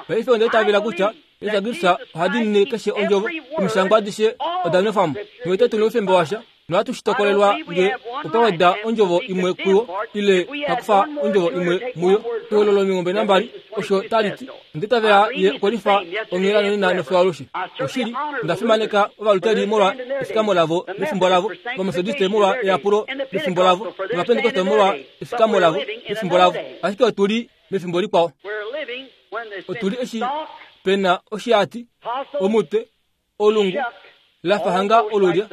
Paife onda itavela kutya Jesus Kristus oha diinine keshe ondjovo, Omishangwa adishe oda nwefwa mo. Uwete tu noufemba washa nohatu shi tokolelwa nge otwa weda ondjovo imwe kuyo ile twa kufa ondjovo imwe muyo. Ehololo 22 osho tali ti. Onda itavela ye okwe lifa onghela nonena nofiyo alushe. Oshili, onda fimaneka Ovaluteri molwa efikamo lavo mefimbo lavo, Ovametodiste molwa eyapulo mefimbo lavo, nOvapentekoste molwa efikamo lavo mefimbo lavo, ashike otu li mefimbo likwao. Otu li eshi pe na oshiati, omutwe, Olungu la fa hanga olulya,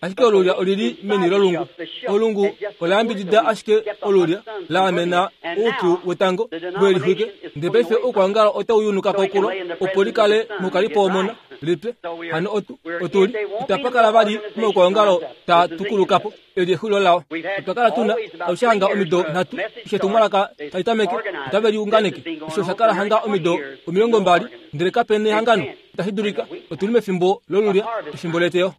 ashike olulya olili meni lolungu. Olungu ola yambidida ashike olulya, la amena oupyu wetango we lixwike. Ndele paife oukwaongalo otau yunuka ko kulo, opo li kale moukalipo womona, lipye. Hano otu, otu li, itapa kala vali omaukwaongalo taa tukuluka po. Eli exulilo lao. Otwa kala tu na alushe hanga omido nhatu eshi etumwalaka tali tameke, otave liunganeke. Osho osha kala hanga omido 20, ndele kape nehangano. Itashi dulika. Otu li mefimbo lolulya, efimbo leteyo.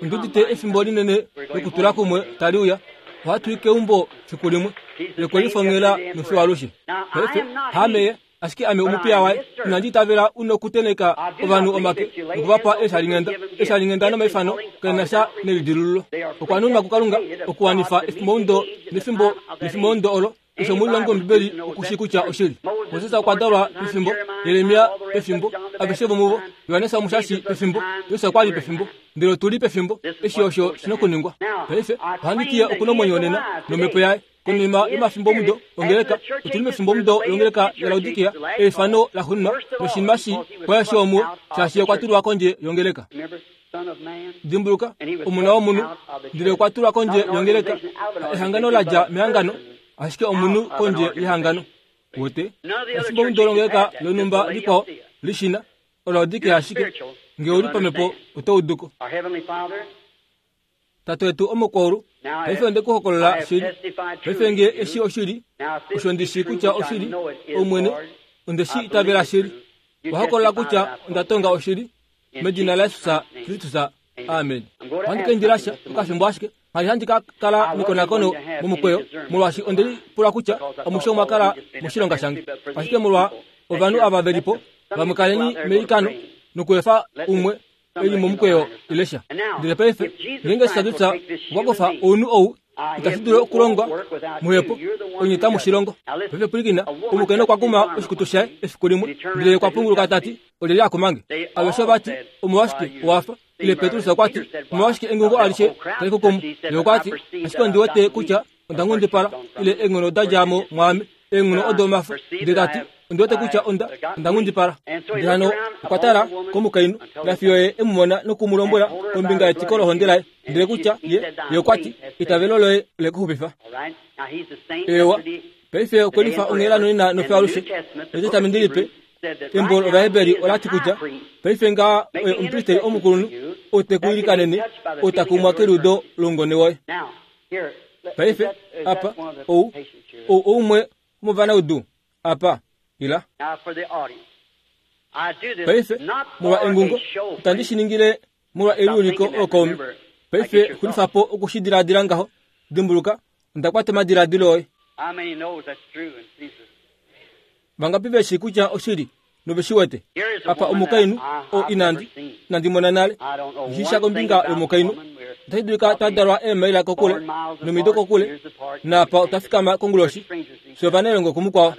Ondi udite efimbo linene lokutula kumwe tali uya. Ohatu i keumbo fiku limwe, lekolifongela nofiyo alushe. Paife, haame ye. Ashike ame omupiya waye, inandi itavela u nokutenheka ovanhu omake noku va pa eeshalinghenda. Eeshalinghenda nomaifano kali na sha nelidilululo. Okwa nunwa kuKalunga okuwanifa efimboundo nefimbo nefimbomudo olo. Keshe omulilongi wOmbibeli oku shii kutya oshili. Moses okwa dalwa pefimbo, Jeremia pefimbo, aveshe vomuvo, Johannes Omushashi pefimbo, Jesus okwa li pefimbo. Ndele otu li pefimbo eshi osho shi nokuningwa. Paife, ohandi ti ye oku nomwenyo nena, nOmhepo yaye. Konima yomafimbomudo ongeleka, otu li mefimbomudo longeleka yaLaodikia, eifano laxuuninwa, noshinima shi kwa eshi omuo, shaashi okwa tulwa kondje yongeleka. Dimbuluka, Omona womunhu, ndele okwa tulwa kondje yongeleka, ehangano la dja mehangano, ashike omunhu kondje yehangano. Wote, efimbomudo longeleka lonhumba likwao li shi na, oLaodikia ashike. Nge u li pamhepo, oto udu ko. Tate wetu omokwaulu, paife onde ku hokolola shili. Paife nge eshi oshili, osho ndi shii kutya oshili, Omwene, onde shi itavela shili. Owa hokolola kutya onda tonga oshili, medina laJesus Kristus. Amen. Ohandi ka indila sha okafimbo ashike. Ngha li handi ka kala nekonakono momukweyo, molwaashi onde lipula kutya amushe omwa kala moshilonga shange. Ashike molwa ovanhu ava ve li po, vamwe kaleni meilikano nokuefa umwe e li momukweyo ile sha. Ndele paife, ngeenge Jesus okwa kufa ounhu ou, itashi dulu okulongwa muhepo, onye tamu shi longo. Paife pwilikina, omukainhu okwa kuma oshikutu shaye efiku limwe, ndele okwa punguluka ta ti, Olyelye a kuma nge? Aveshe ova ti, Omolwashike owa fa? Ile Petrus okwa ti, Omolwashike engungo alishe tali ku kumu? Ye okwa ti, Ashike ondi wete kutya onda nghundipala, ile eenghono oda dja mo mwaame, eenghono odo omafo. Ndele ta ti, Ondi wete kutya onda, onda nghundipala. Ndele hano okwa tala komukainhu, nafiyo ye e mu mona noku mu lombwela kombinga yetiko lohonde laye, ndele kutya ye, ye okwa ti, Eitavelo loye ole ku xupifa. Eewa, paife okwe lifa onghela nonena nofiyo alushe. Etestamenti Lipe, Embo lOvaheberi ola ti kutya paife ngaha oye omupristeri omukulunhu ou te ku ilikanene, ou ta kumwa keliudo loungone woye. Paife, apa, ou, ou oumwe womovanaudu apa. Ila. Paife, molwa engungo, itandi shi ningile molwa eliuliko lokaumi. Paife xulifa po oku shi diladila ngaho. Dimbuluka, onda kwata omadiladilo oye. Vangapi ve shii kutya oshili nove shi wete? Apa omukainhu oo inandi, inandi mona nale. Nghi sha kombinga yomukainhu. Otashi dulika twa dalwa eemaila kokule, nomido kokule, naapa otwa fikama konguloshi, fye ovanailongo kumukwao.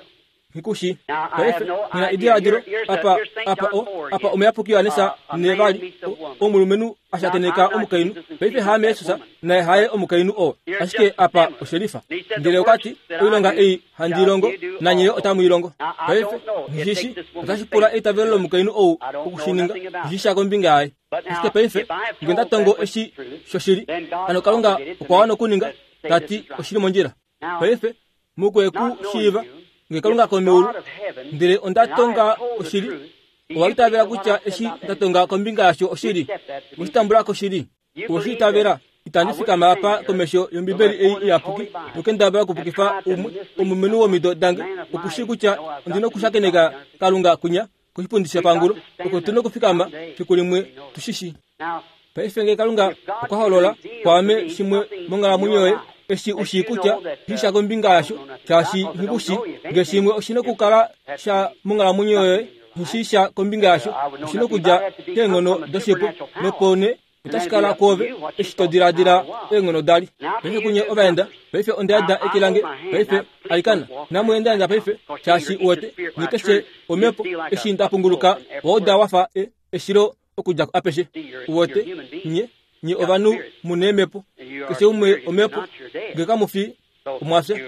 Nghi ku shii. Paife, nghi na ediladilo, apa, apa o, apa omuyapuki Johannes nevali, o, omulumenhu a shakeneka omukainhu. Paife haame Jesus, naye haye omukainhu oo. Ashike apa oshelifa. Ndele okwa ti, Oilonga ei handi i longo, nanye yo otamu i longo. Paife, nghi shi, otashi pula eitavelo lomukainhu ou oku shi ninga, nghi sha kombinga yaye. Ashike paife, nge nda tongo eshi shoshili, hano Kalunga okwa wana okuninga, ta ti oshi li mondjila. Paife, mokwe ku shiiva, nge Kalunga komeulu, ndele onda tonga oshili, owa itavela kutya eshi nda tonga kombinga yasho oshili? Owe shi tambula ko shili? Owe shi itavela? Itandi fikama apa komesho yOmbibeli ei iyapuki nokendabala okupukifa umwe omulumenhu womido dange oku shii kutya ondi nokushakeneka Kalunga kwinya koshipundi shepangulo oko tu nokufikama fiku limwe tu shi shii. Paife nge Kalunga okwa holola kwaame shimwe monghalamwenyo yoye, eshi u shii kutya shi sha kombinga yasho, shaashi nghi ku shii, nge shimwe oshi nokukala sha monghalamwenyo yoye, nghi shii sha kombinga yasho, oshi nokudja keenghono doshipo, nopo nee otashi kala kwoove eshi to diladila eenghono da li. Paife kunye ovaenda, paife onda yada eke lange, paife, alikana, inamu endaenda paife, shaashi uwete, nye keshe omhepo, eshi nda punguluka, wa uda wa fa e, eshilo okudja apeshe. Uwete, nye, nye ovanhu mu neemhepo, keshe umwe omhepo, nge kamu fi, omwa fya.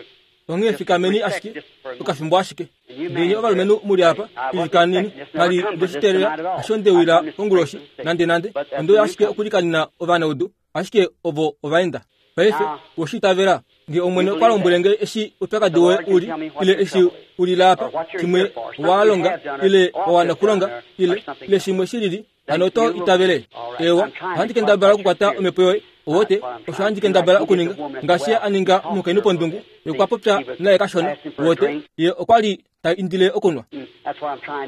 Onghee fikameni ashike okafimbo ashike. Nge ovalumenhu mu li apa, ilikaneni. Kali nde shi teelela, hasho nde wila konguloshi, nandenande. Onde uya ashike okulikanena ovanaudu, ashike ovo ovaenda. Paife, owe shi itavela? Nge Omwene okwa lombwele nge eshi oupyakadi woye u li, ile eshi u lila apa, shimwe wa longa, ile wa wana okulonga, ile, ile shimwe shi lili, Hano oto itavele? Eewa, ohandi kendabala okukwata omhepo yoye. Owote, osho handi kendabala okuninga. Ngaashi ye a ninga omukainhu pondungu, ye okwa popya naye kashona. Owote, ye okwa li ta indile okunwa.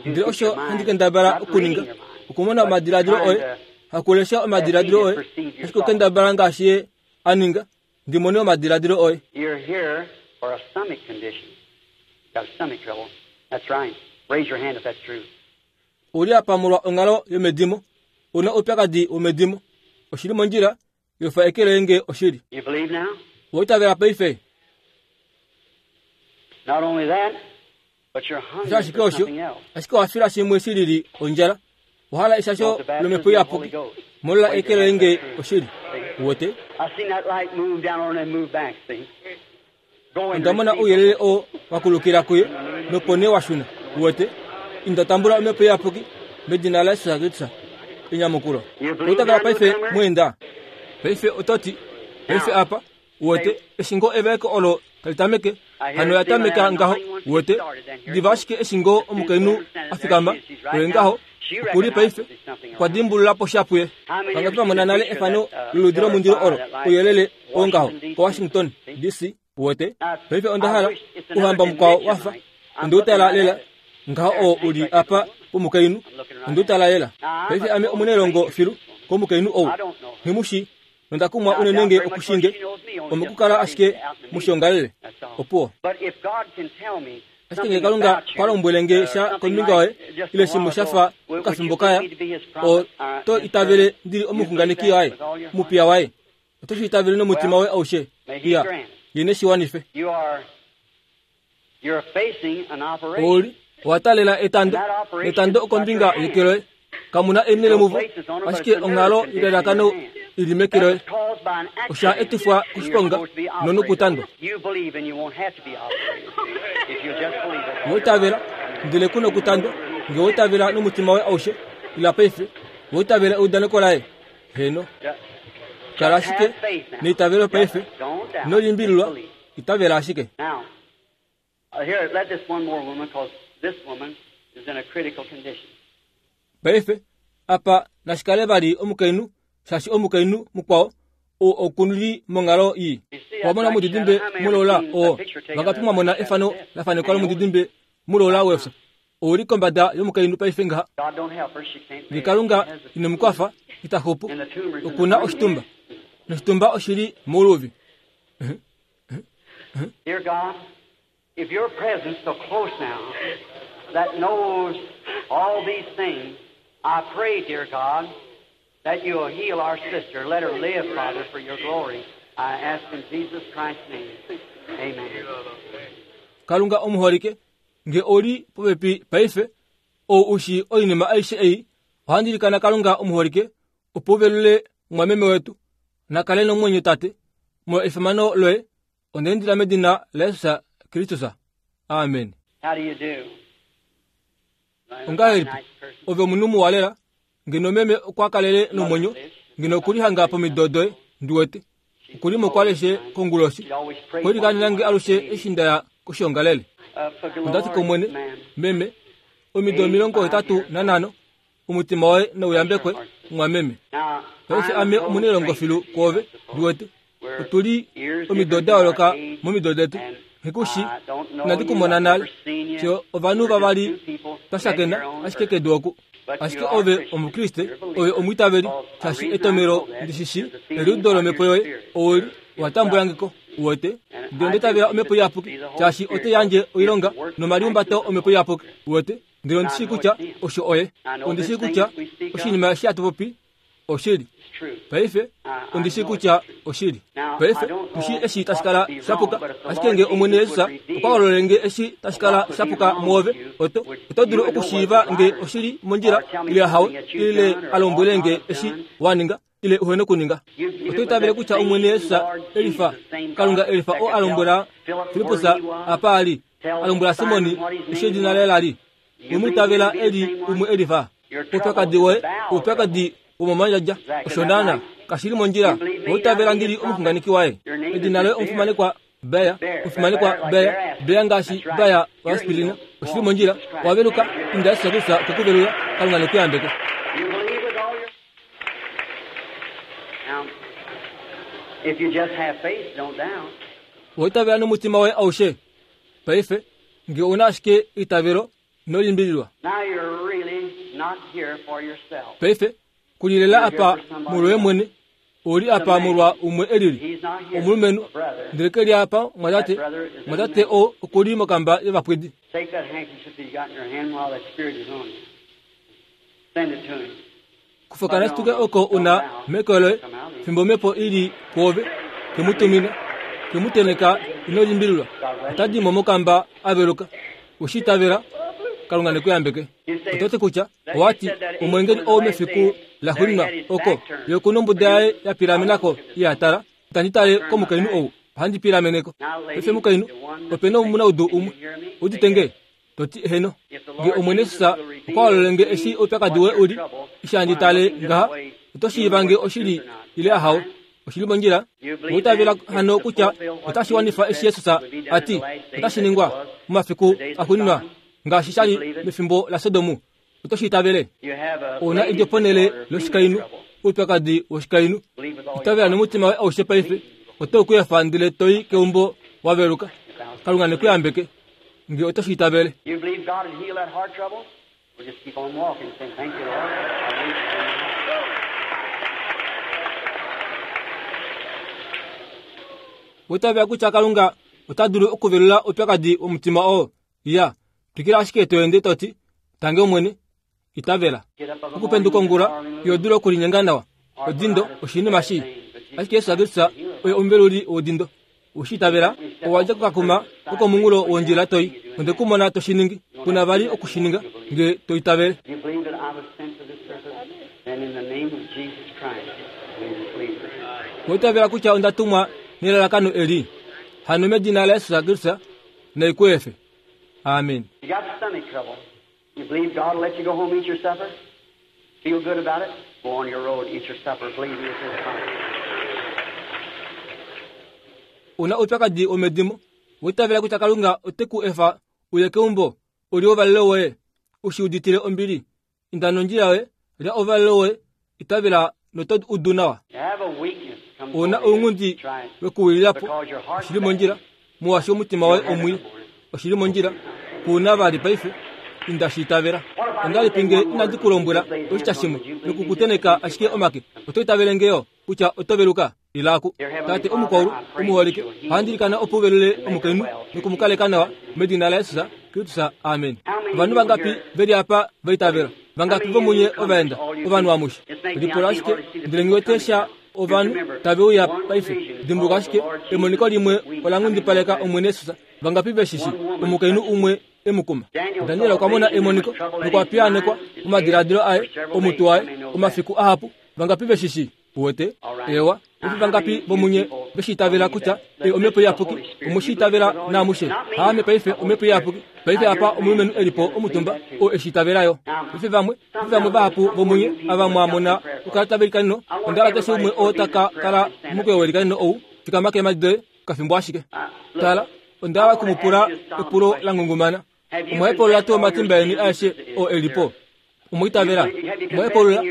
Ndele osho handi kendabala okuninga, okumona omadiladilo oye, hakulesha omadiladilo oye, ashike okukendabala ngaashi ye a ninga, ndi mone omadiladilo oye. You're here for a stomach condition. Got stomach trouble. That's right. Raise your hand if that's true. U li apa molwa onghalo yomedimo. U na oupyakadi womedimo. Oshi li mondjila, yofa eke loye nge oshili. You believe now? Owa itavela paife? Not only that, but you're Osho hungry ashike for osho, something else. ashike owa fila shimwe shi lili ondjala. Owa hala eshasho lOmhepo Iyapuki. Molola eke loye nge oshili. Uwete? I seen that light move down on and move back, see? Go and Onda mona receive ouyelele oo wa kulukila kuye, nopo nee wa shuna. Uwete? Inda tambula Omhepo Iyapuki, medina laJesus Kristus. Enyamukulo. Owa itavela paife, mweenda? Paife oto ti, Paife apa. Uwete, eshi ngoo evaeko olo tali tameke, hano oya tameka ngaho. Uwete, diva ashike eshi ngoo omukainhu a fikama, oye ngaho, oku li paife, okwa dimbulula po sha puye. Vangapi va mona nale efano loludi lomundilo olo, ouyelele oo ngaho, koWashington, DC? Uwete? Paife onda hala ouhamba mukwao wa fa. Onde u tala lela ngaho oo u li apa pomukainhu. Onde u tala lela. Paife ame omunailongo filu komukainhu ou. Nghi mu shii. Nonda kumwa unene nge oku shii nge, omokukala ashike mushiongalele. Opuwo. Ashike nge Kalunga kwa lombwele nge sha kombinga yoye, ile shimwe sha fa okafimbo kaya, oto itavele ndi li omuxunganeki waye, omupiya waye? Oto shi itavele nomutima woye aushe? Iya, Ye ne shi wanife. Oli, owa taalela etando, netando okombinga yeke loye. Kamu na eenhele muvo, ashike onghalo yelalakano i li meke loye. Osha etifwa koshiponga nonokutandwa. Owa itavela, ndele ku nokutandwa. Nge owa itavela nomutima woye aushe, ila paife. Owa itavela eudaneko laye? Heeno. Kala ashike neitavelo paife. Ino limbililwa, itavela ashike. Paife, apa nashi kale vali omukainhu, shaashi omukainhu mukwao ou oku li monghalo ii. Owa mona omudidimbe mulola oo? Vangapi mwa mona efano la fanekwa lomudidimbe mulola wefyo? Ou li kombada yomukainhu paife ngaha. Nge Kalunga ine mu kwafa, ita xupu. Oku na oshitumba, noshitumba oshi li mouluvi. Dear God, if your presence so close now that knows all these things, I pray, dear God, that you will heal our sister. Let her live, Father, for your glory. I ask in Jesus Christ's name. Amen. Kalunga omuholike, nge ou li popepi paife, ou u shii oinima aishe ei, ohandi ilikana Kalunga omuholike, opo u velule mumwameme wetu. Na kale nomwenyo, Tate, molwa efimano loye, onda indila medina laJesus Kristus. Amen. How do you do? Ongahelipi ove omunhu muwa lela? Ngeno meme okwa kalele nomwenyo, ngeno oku li hanga pomido doye, ndi wete. Oku li mokwaleshe konguloshi. Okwe likanena nge alushe eshi nda ya koshiongalele. Onda ti kOmwene, Meme, omido 85, Omutima woye nau yambekwe, mumwameme. Paife ame omunailongo filu kwoove, ndi wete. Otu li omido da yooloka momido detu. Nghi ku shii, inandi ku mona nale. Fye ovanhu vavali twa shakena ashike kedu oku. Ashike ove Omukriste, ove omwiitaveli, shaashi etomelo ndi shi shii, eliudo lomhepo yoye, ou li, owa tambula nge ko. Uwete? Ndele onda itavela Omhepo Iyapuki, shaashi otai yandje oilonga nomaliumbato Omhepo Iyapuki. Uwete? Ndele ondi shii kutya osho oye. Ondi shii kutya oshinima eshi hatu popi oshili. Paife, ondi shii kutya oshili. Paife, tu shii eshi tashi kala sha puka. Ashike nge Omwene Jesus okwa hololele nge eshi tashi kala sha puka mwoove, oto, oto dulu okushiiva nge oshili mondjila ile ahawe, ile a lombwele nge eshi wa ninga ile uhene okuninga. Oto itavele kutya Omwene Jesus elifa, Kalunga elifa oo a lombwela Filippus apa a li, a lombwela Simoni eshi edina laye la li. We mu itavela e li umwe elifa. Oupyakadi woye oupyakadi womomandjadja. Osho naana, kashi li mondjila. Owa itavela ndi li omuxunganeki waye. Edina loye omufimanekwa Beya, omufimanekwa Beya, Beya ngaashi Beya waAspirina. Oshi li mondjila. Owa veluka, inda Jesus Kristus okwe ku velula. Kalunga ne ku yambeke. Owa itavela nomutima woye aushe? Paife, nge ou na ashike eitavelo, ino limbililwa. Paife, ku li lela apa molwoye mwene, ou li apa molwa umwe e lili, omulumenhu, ndele ke li apa, mwatate, mwatate oo oku li mokamba yovapwidi. Kufa okanashituke oko u na meke loye, fimbo omhepo i li pwoove, ke mu tumina, ke mu tenheka, ino limbililwa, ota di mo mokamba a veluka. We shi itavela? Kalunga ne ku yambeke. Oto ti kutya, owa ti, omweengeli ou mefiku laxuuninwa oko, ye oku nombuda yaye ya pilamena ko, iha tala, itandi tale komukainhu ou, ohandi pilamene ko. Paife mukainhu, ope na omunaudu umwe. Udite nge? To ti, Heeno. Nge Omwene Jesus okwa hololele nge eshi oupyakadi woye u li, eshi handi tale ngaha, oto shiiva nge oshili ile ahawe. Oshi li mondjila? Owa itavela hano kutya otashi wanifa eshi Jesus a ti otashi ningwa momafiku axuuninwa ngaashi sha li mefimbo laSodom? Oto shi itavele? Ou na edjo ponhele loshikainhu, oupyakadi woshikainhu. Itavela nomutima woye aushe paife, oto ku efa ndele to i keumbo wa veluka. Kalunga ne ku yambeke, nge oto shi itavele. Owa itavela kutya Kalunga ota dulu okuvelula oupyakadi womutima oo? Iya, twikila ashike to ende to ti, Tangi Omwene, itavela. Okupenduka ongula, iho dulu okulinyenga nawa. Odindo oshinima shii. Ashike Jesus Kristus oye omuveluli wodindo. Owe shi itavela? Owa dja kokakuma kokomunghulo wondjila to i. Onde ku mona to shi ningi. Ku na vali oku shi ninga, nge to itavele. Owa itavela kutya onda tumwa nelalakano eli? Hano medina laJesus Kristus, nai ku efe. Amen. You got stomach trouble. You believe God will let you go home eat your supper? Feel good about it? Go on your road, eat your supper, believe me, it's fine. Una oupyakadi womedimo, wa itavela kutya Kalunga ote ku efa uye keumbo u li ouvalelo woye, u shi uditile ombili. Inda nondjila yoye, lya ouvalelo woye, itavela noto udu nawa. Ou na ounghundi wekuwilila po, oshi li mondjila, molwaashi omutima woye omwii. Oshi li mondjila, ku na vali paife, inda shi itavela. Ongahelipi nge inandi ku lombwela oshitya shimwe noku ku tenheka ashike omake, oto itavele nge yo kutya oto veluka? Ila ku Tate omukwaulu omuholike, ohandi ilikana opo u velule omukainhu noku mu kaleka nawa, medina laJesus Kristus. Amen. Ovanhu vangapi ve li apa va itavela? Vangapi vomunye ovaenda, ovanhu amushe? Lipula ashike, ndele nghi wete sha ovanhu tave uya paife. Dimbuluka ashike, emoniko limwe ola nghundipaleka Omwene Jesus. Vangapi ve shi shii? Omukainhu umwe e mu kuma. Daniel okwa mona emoniko nokwa piyaanekwa omadiladilo aye, omutwe waye, omafiku ahapu. Vangapi ve shi shii? Uwete? Ewa. Efi vangapi vomunye ve shi itavela kutya ei Omhepo Iyapuki? Omwe shi itavela naamushe? Haame paife Omhepo Iyapuki. Paife apa omulumenhu e li po omutumba, oo e shi itavela yo. Paife vamwe, paife vamwe vahapu vomunye ava mwa mona okukala tava ilikaneno, onda hala keshe umwe oo ta ka kala momukweyo weilikaneno ou, fikama keemhadi doye okafimbo ashike. Tala, onda hala oku mu pula epulo la ngungumana. Omwa hepulula tuu omatimba eni aeshe oo e li po? Omwa itavela? Omwa hepulula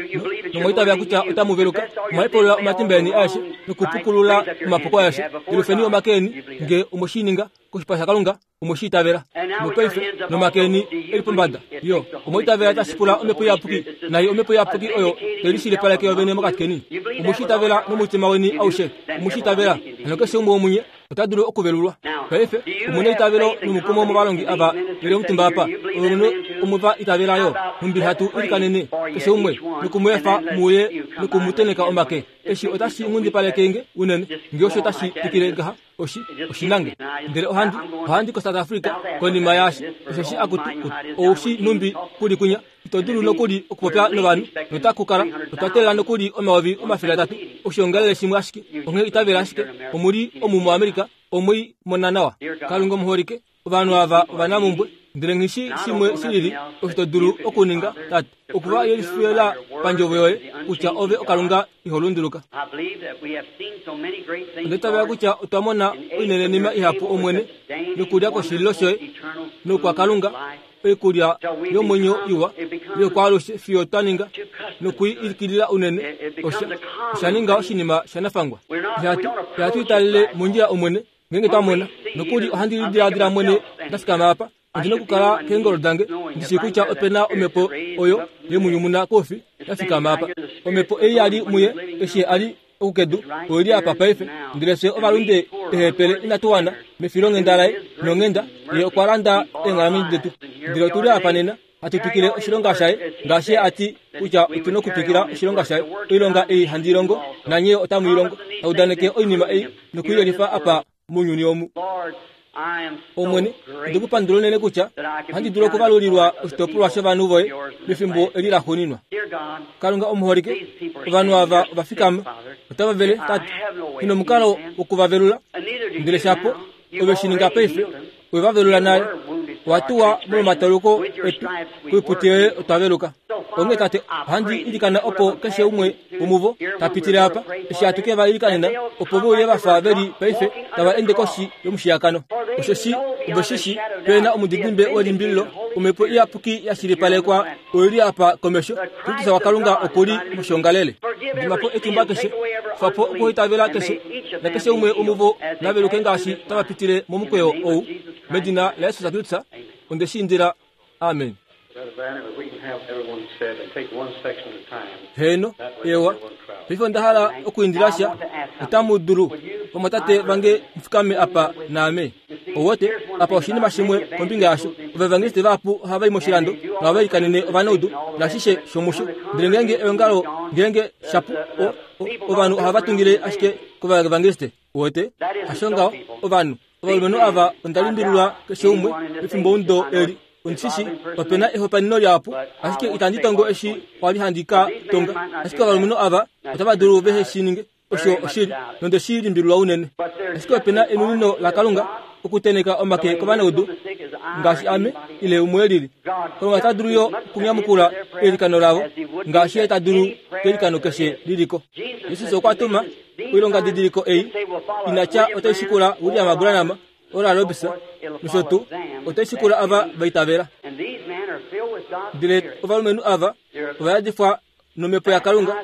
nomwa itavela kutya otamu veluka? Omwa hepulula omatimba eni aeshe nokupukulula omapuko aeshe? Yelufeni omake eni nge omwe shi ninga koshipala shaKalunga, omwe shi itavela. Nopaife nomake eni e li pombada, yo omwa itavela tashi pula Omhepo Iyapuki, nai Omhepo Iyapuki oyo tai lishilipaleke yovene mokati keni. Omwe shi itavela nomutima weni aushe? Omwe shi itavela? Hano keshe umwe womunye ota dulu okuvelulwa. Paife, omu na eitavelo nomukumo movalongi ava ve li omutumba apa, ovalumenhu omwe va itavela yo, nhumbi hatu ilikanene keshe umwe, noku mu efa mu uye noku mu tenheka omake. Eshi otashi nghundipaleke nge unene, nge osho tashi twikile ngaha, oshi, oshi nange. Ndele ohandi, ohandi koSouth Africa konima yaashi, osheshi akutu, ou shi nhumbi ku li kwinya. Ito dulu nokuli okupopya novanhu, notaku kala otwa teelela nokuli 300,000 oshiongalele shimwe ashike. Onghee itavela ashike, omu li omu muAmerica, omwe i mona nawa. Kalunga omuholike, ovanhu ava ovanamumbwe, ndele nghi shi shimwe shi lili osho to dulu okuninga, Tate, oku va yelifila pandjovo yoye kutya ove oKalunga iho lunduluka. Onda itavela kutya otwa mona oinenenima ihapu, Omwene, nokulya koshililo shoye noukwakalunga, oikulya yomwenyo iwa yokwaalushe fiyo twa ninga noku i ikilila unene, osha, osha ninga oshinima shanafangwa. Ihatu, ihatu italele mondjila Omwene, ngeenge twa mona. Nokuli ohandi lidiladila mwene nda fikama apa, ondi nokukala keengolo dange, ndi shii kutya ope na omhepo oyo ye mu nyumuna koufi ya fikama apa. Omhepo ei ya li muye eshi a li oku kedu, oi li apa paife. Ndele fye ovalunde eehepele inatu wana, mefilonghenda laye nonghenda, Ye okwa landa eenghalamwenyo detu. Ndele otu li apa nena, hatu twikile oshilonga shaye, ngaashi Ye a ti kutya otu nokutwikila oshilonga shaye. Oilonga ei handi longo, nanye yo otamu i longo. Ta udaneke oinima ei noku i yelifa apa mounyuni omu. Omwene, onde ku pandula unene kutya ohandi dulu okuvalulilwa oshitopolwa shovanhu voye mefimbo eli laxuuninwa. Kalunga omuholike, ovanhu ava ova fikama, otava vele, Tate, nghi nomukalo woku va velula, ndele shapo ove shi ninga paife, we va velula nale. Owa tuwa molwomatauluko etu, koiputi yoye otwa veluka. Onghee Tate, ohandi ilikana opo keshe umwe womuvo ta pitile apa, eshi hatu ke va ilikanena, opo ve uye va fa ve li paife tava ende koshi yomushiyakano. Osheshi ove shi shi, pe na omudidimbe welimbililo, Omhepo Iyapuki ya shilipalekwa oi li apa komesho, Kristus waKalunga oku li moshiongalele. Dima po etimba keshe, kufa po okuhaitavela keshe, nakeshe umwe womuvo na veluke ngaashi tava pitile momukweyo ou, medina laJesus Kristus, onde shi indila. Amen. Heeno, ewa. Paife onda hala okuindila sha. Otamu dulu, vamwatate vange, mu fikame apa naame. Ouwete, apa oshinima shimwe kombinga yasho. Ovaevangeliste vahapu ohava i moshilando nohava ilikanene ovanaudu naashishe shomusho. Ndele ngeenge eongalo, ngeenge shapu, o, o, ovanhu ohava tungile ashike kovaevangeliste. Uwete, hasho ngaho, ovanhu. Ovalumenhu ava onda limbililwa keshe umwe pefimbo eli. Ondishi ope na ehopanino lihapu, ashike itandi tongo eshi kwa li handi ka tonga. Ashike ovalumenhu ava otava dulu vehe shi ninge. Osho oshili, nonde shi limbililwa unene. Ashike ope na enunino laKalunga okuteneka omake kovanaudu ngaashi ame ile umwe e lili. Kalunga ota dulu yo okunyamukula eilikano lavo ngaashi ye ta dulu keilikano keshe li li ko. Jesus okwa tuma oilongadidiliko ei ina tya otai shikula William Branham, Oral Roberts nosho tuu, otai shikula ava va itavela. Ndele ovalumenhu ava ova yadifwa nomhepo yaKalunga,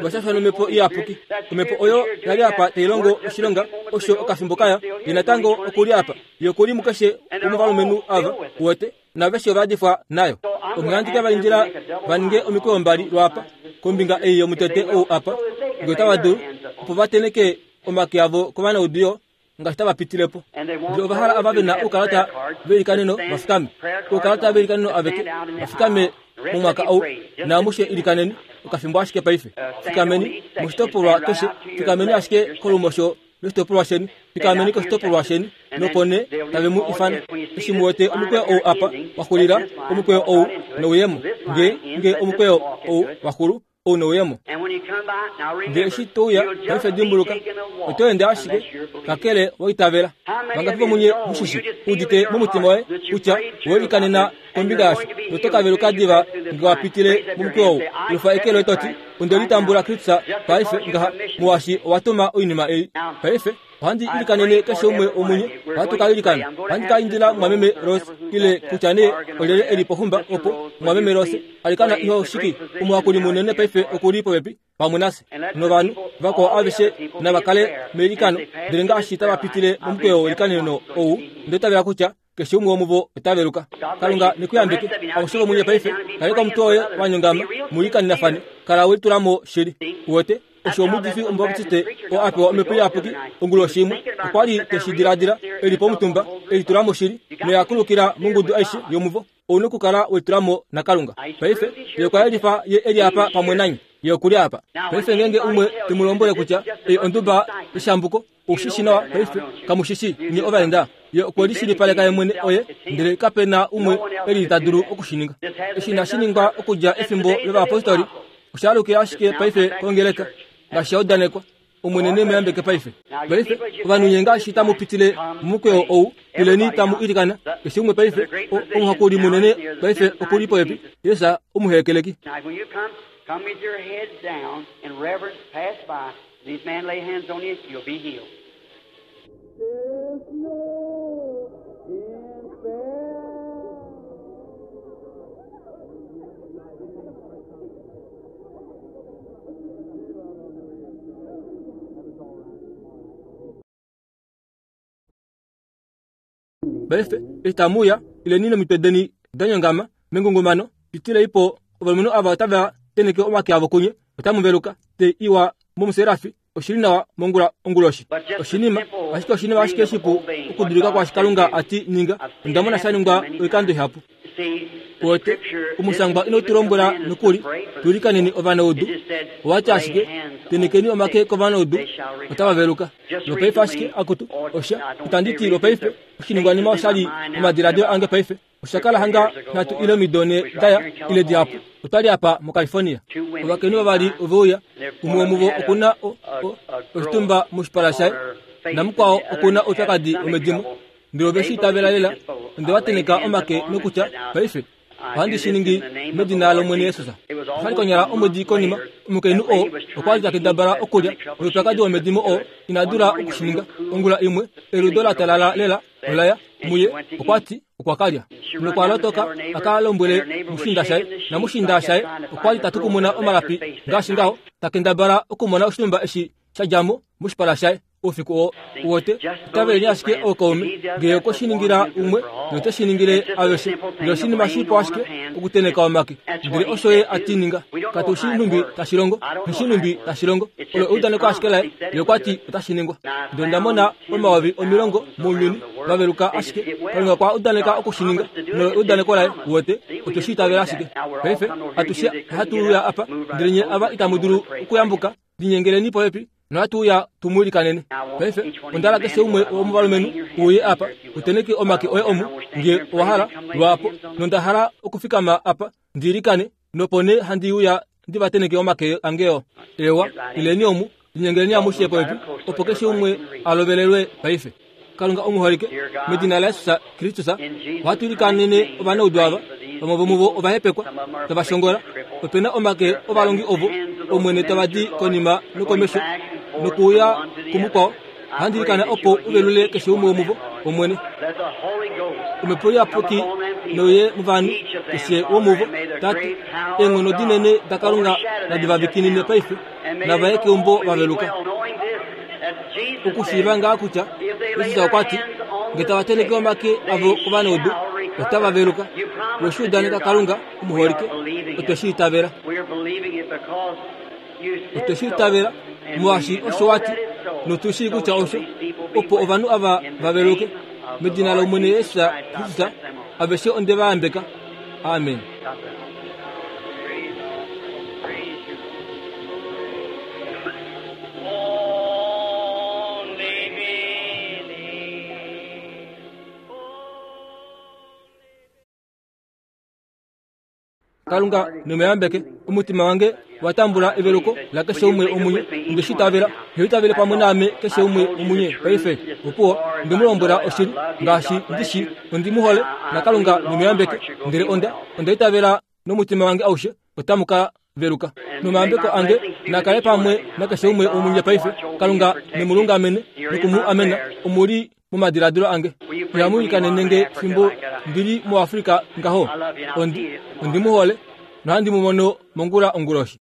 ova shashwa nomhepo iyapuki. Omhepo oyo ya li apa tai longo oshilonga osho okafimbo kaya, ye natango oku li apa. Ye oku li mukeshe womovalumenhu ava, uwete. Naaveshe ova yadifwa nayo. Onghee handi ke va indila va ninge omikweyo mbali lwaapa, kombinga ei yomutete ou apa, nge otava dulu, opo va tenheke omake avo kovanaudu yo, ngaashi tava pitile po. Ndele ova hala ava ve na oukalata veilikaneno va fikame, oukalata veilikaneno aveke va fikame momwaka ou, naamushe ilikaneni okafimbo ashike paife. Fikameni moshitopolwa keshe, fikameni ashike kolumosho loshitopolwa sheni, fikameni koshitopolwa sheni, nopo nee tave mu ifana. Eshi mu wete omukweyo ou apa wa xulila, omukweyo ou nouyemo, nge, nge omukweyo ou wa xulu, ou nouyemo. Ndele eshi to uya, paife dimbuluka, oto ende ashike, kakele wa itavela. Vangapi vomunye mu shi shi, udite momutima woye kutya owe likanena kombinga yasho, noto ka veluka diva nge wa pitile momukweyo ou? Lufa eke loye to ti, Onde litambula Kristus paife ngaha, molwaashi owa tuma oinima ei. Paife ohandi ilikanene keshe umwe womunye. Ohatu ka ilikana. Ohandi ka indila mumwameme Rose, ile kutya nee olyelye e li pohumba opo, mumwameme Rose, alikana iho shiki. Omuhakuli munene paife oku li popepi pamwe nafye. Novanhu vakwao aveshe nava kale meilikano, ndele ngaashi tava pitile momukweyo welikaneno ou, onda itavela kutya Keshe umwe womuvo ota veluka. Kalunga ne ku yambeke. Amushe vomunye paife, kaleka omutwe woye wa nyongama, mu ilikanenafane. Kala we litula mo shili. Uwete, osho omuudifi Omubaptiste oo a pewa Omhepo Iyapuki onguloshi imwe, okwa li te shi diladila, e li pomutumba, e litula mo shili, noya kulukila mongudu aishe yomuvo. Ou nokukala we litula mo naKalunga. Paife, Ye okwa yelifa Ye e li apa pamwe nanye. Ye oku li apa. Paife ngeenge umwe te mu lombwele kutya ei onduba yeshambuko, Ou shi shi nawa paife, kamu shi shii, nye ovaenda. Ye okwe lishilipaleka ye mwene oye, ndele kape na umwe e lili ta dulu oku shi ninga. Eshi inashi ningwa okudja efimbo lovayapostoli, osha alukila ashike paife kongeleka, ngaashi sha udanekwa. Omwene ne mu yambeke paife. Paife, ovanhu nye ngaashi tamu pitile momukweyo ou, ileni tamu ilikana, keshe umwe paife. O, omuhakuli munene paife oku li popepi, Jesus omuhekeleki. Come with your heads down in reverence, pass by. These men lay hands on you, you'll be healed. Paife, eshi tamu uya, ileni nomitwe deni da nyongama mengungumano, pitilei po ovalumenhu ava otava tenheke omake avo kunye, otamu veluka. Te iwa momuserafi, oshi li nawa mongula onguloshi. Oshinima, ashike oshinima ashike shipu okudulika kwaashi Kalunga a ti ninga. Onda mona sha ningwa oikando ihapu. Kuwete, omushangwa inau tu lombwela nokuli tu ilikaneni ovanaudu. Owa ti ashike, Tenhekeni omake kovanaudu, otava veluka. Lwopaife ashike, akutu, osha, itandi ti lwopaife, oshiningwanima osha li momadiladilo ange paife. Osha kala hanga nhatu ile omido ne da ya, ile dihapu. Otwa li apa moCalifornia. Ovakainhu vavali ove uya. Umwe womuvo oku na o, o, oshitumba moshipala shaye, namukwao oku na oupyakadi womedimo. Ndele ove shi itavela lela. Onde va tenheka omake nokutya, Paife, ohandi shi ningi medina lOmwene Jesus. Osha li konyala omwedi konima, omukainhu oo okwa li ta kendabala okulya noupyakadi womedimo oo ina dula oku shi ninga. Ongula imwe, eludo la talala lela ola ya muye. Okwa ti okwa ka lya. Nokwa lotoka a ka lombwele mushiinda shaye, namushiinda shaye okwa li ta tukumuna omalapi ngaashi ngaho, ta kendabala okumona oshinhumba eshi sha dja mo moshipala shaye. Oufiku oo wote itaveleni ashike ookaume ngee okwe shi ningila umwe note shi ningile aveshe. Ndele oshinima shipu ashike okuteneka omake. Ndele osho ye a ti ninga. Katu shi nhumbi tashi longo. Nghi shi nhumbi tashi longo. Olo eudaneko ashike laye. Ye okwa ti otashi ningwa. Ndele onda mona 100000 mounyuni va veluka ashike Kalunga okwa udaneka oku shi ninga. Nolo eudaneko laye. Uwete? Otwe shi itavela ashike. Paife, atushe ohatu uya apa, ndele nye ava itamu dulu okuyambuka, linyengeleni popepi nohatu uya tu mu ilikanene. Paife, onda hala keshe umwe womovalumenhu uye apa, u tenheke omake oye omu, nge owa hala, lwaapo. Nonda hala okufikama apa ndi ilikane, nopo nee handi uya ndi va tenheke omake ange oo. Eewa, ileni omu, linyengeleni amushe popepi, opo keshe umwe a lovelelwe paife. Kalunga omuholike, medina laJesus Kristus, ohatu ilikanene ovanaudu ava, vamwe vomuvo ovahepekwa, tava shongola. Ope na omake ovalongi ovo, Omwene, tava di konima nokomesho, nokuuya kumukwao. Ohandi ilikana opo u velule keshe umwe womuvo, Omwene. Omhepo Iyapuki nouye movanhu, keshe womuvo, Tate. Eenghono dinene daKalunga nadi va vikinine paife, nava ye keumbo va veluka. Okushiiva ngaa kutya Jesus okwa ti, Nge tava tenheke omake avo kovanaudu, otava veluka. We shi udaneka Kalunga omuholike, otwe shi itavela. Otwe shi itavela, molwaashi osho wa ti, notu shii kutya osho, opo ovanhu ava va veluke. Medina lOmwene Jesus Kristus, aveshe onde va yambeka. Amen. Kalunga nomeyambeke omutima wange wa tambula eveluko lakeshe umwe omunye onde shi itavela he itavele pamwe naame keshe umwe omunye paife opuwo onde mu lombwela oshili ngaashi ndi shi ondi mu hole nakalunga nomeyambeke ndele onda onda itavela nomutima wange aushe otamu ka veluka. Nomayambeko ange na kale pamwe nakeshe umwe womunye paife. Kalunga ne mu lungamene noku mu amena. Omu li momadiladilo ange. Ihamu ilikanene nge fimbo ndi li muAfrica ngaho. Ondi, ondi mu hole, nohandi mu mono mongula onguloshi.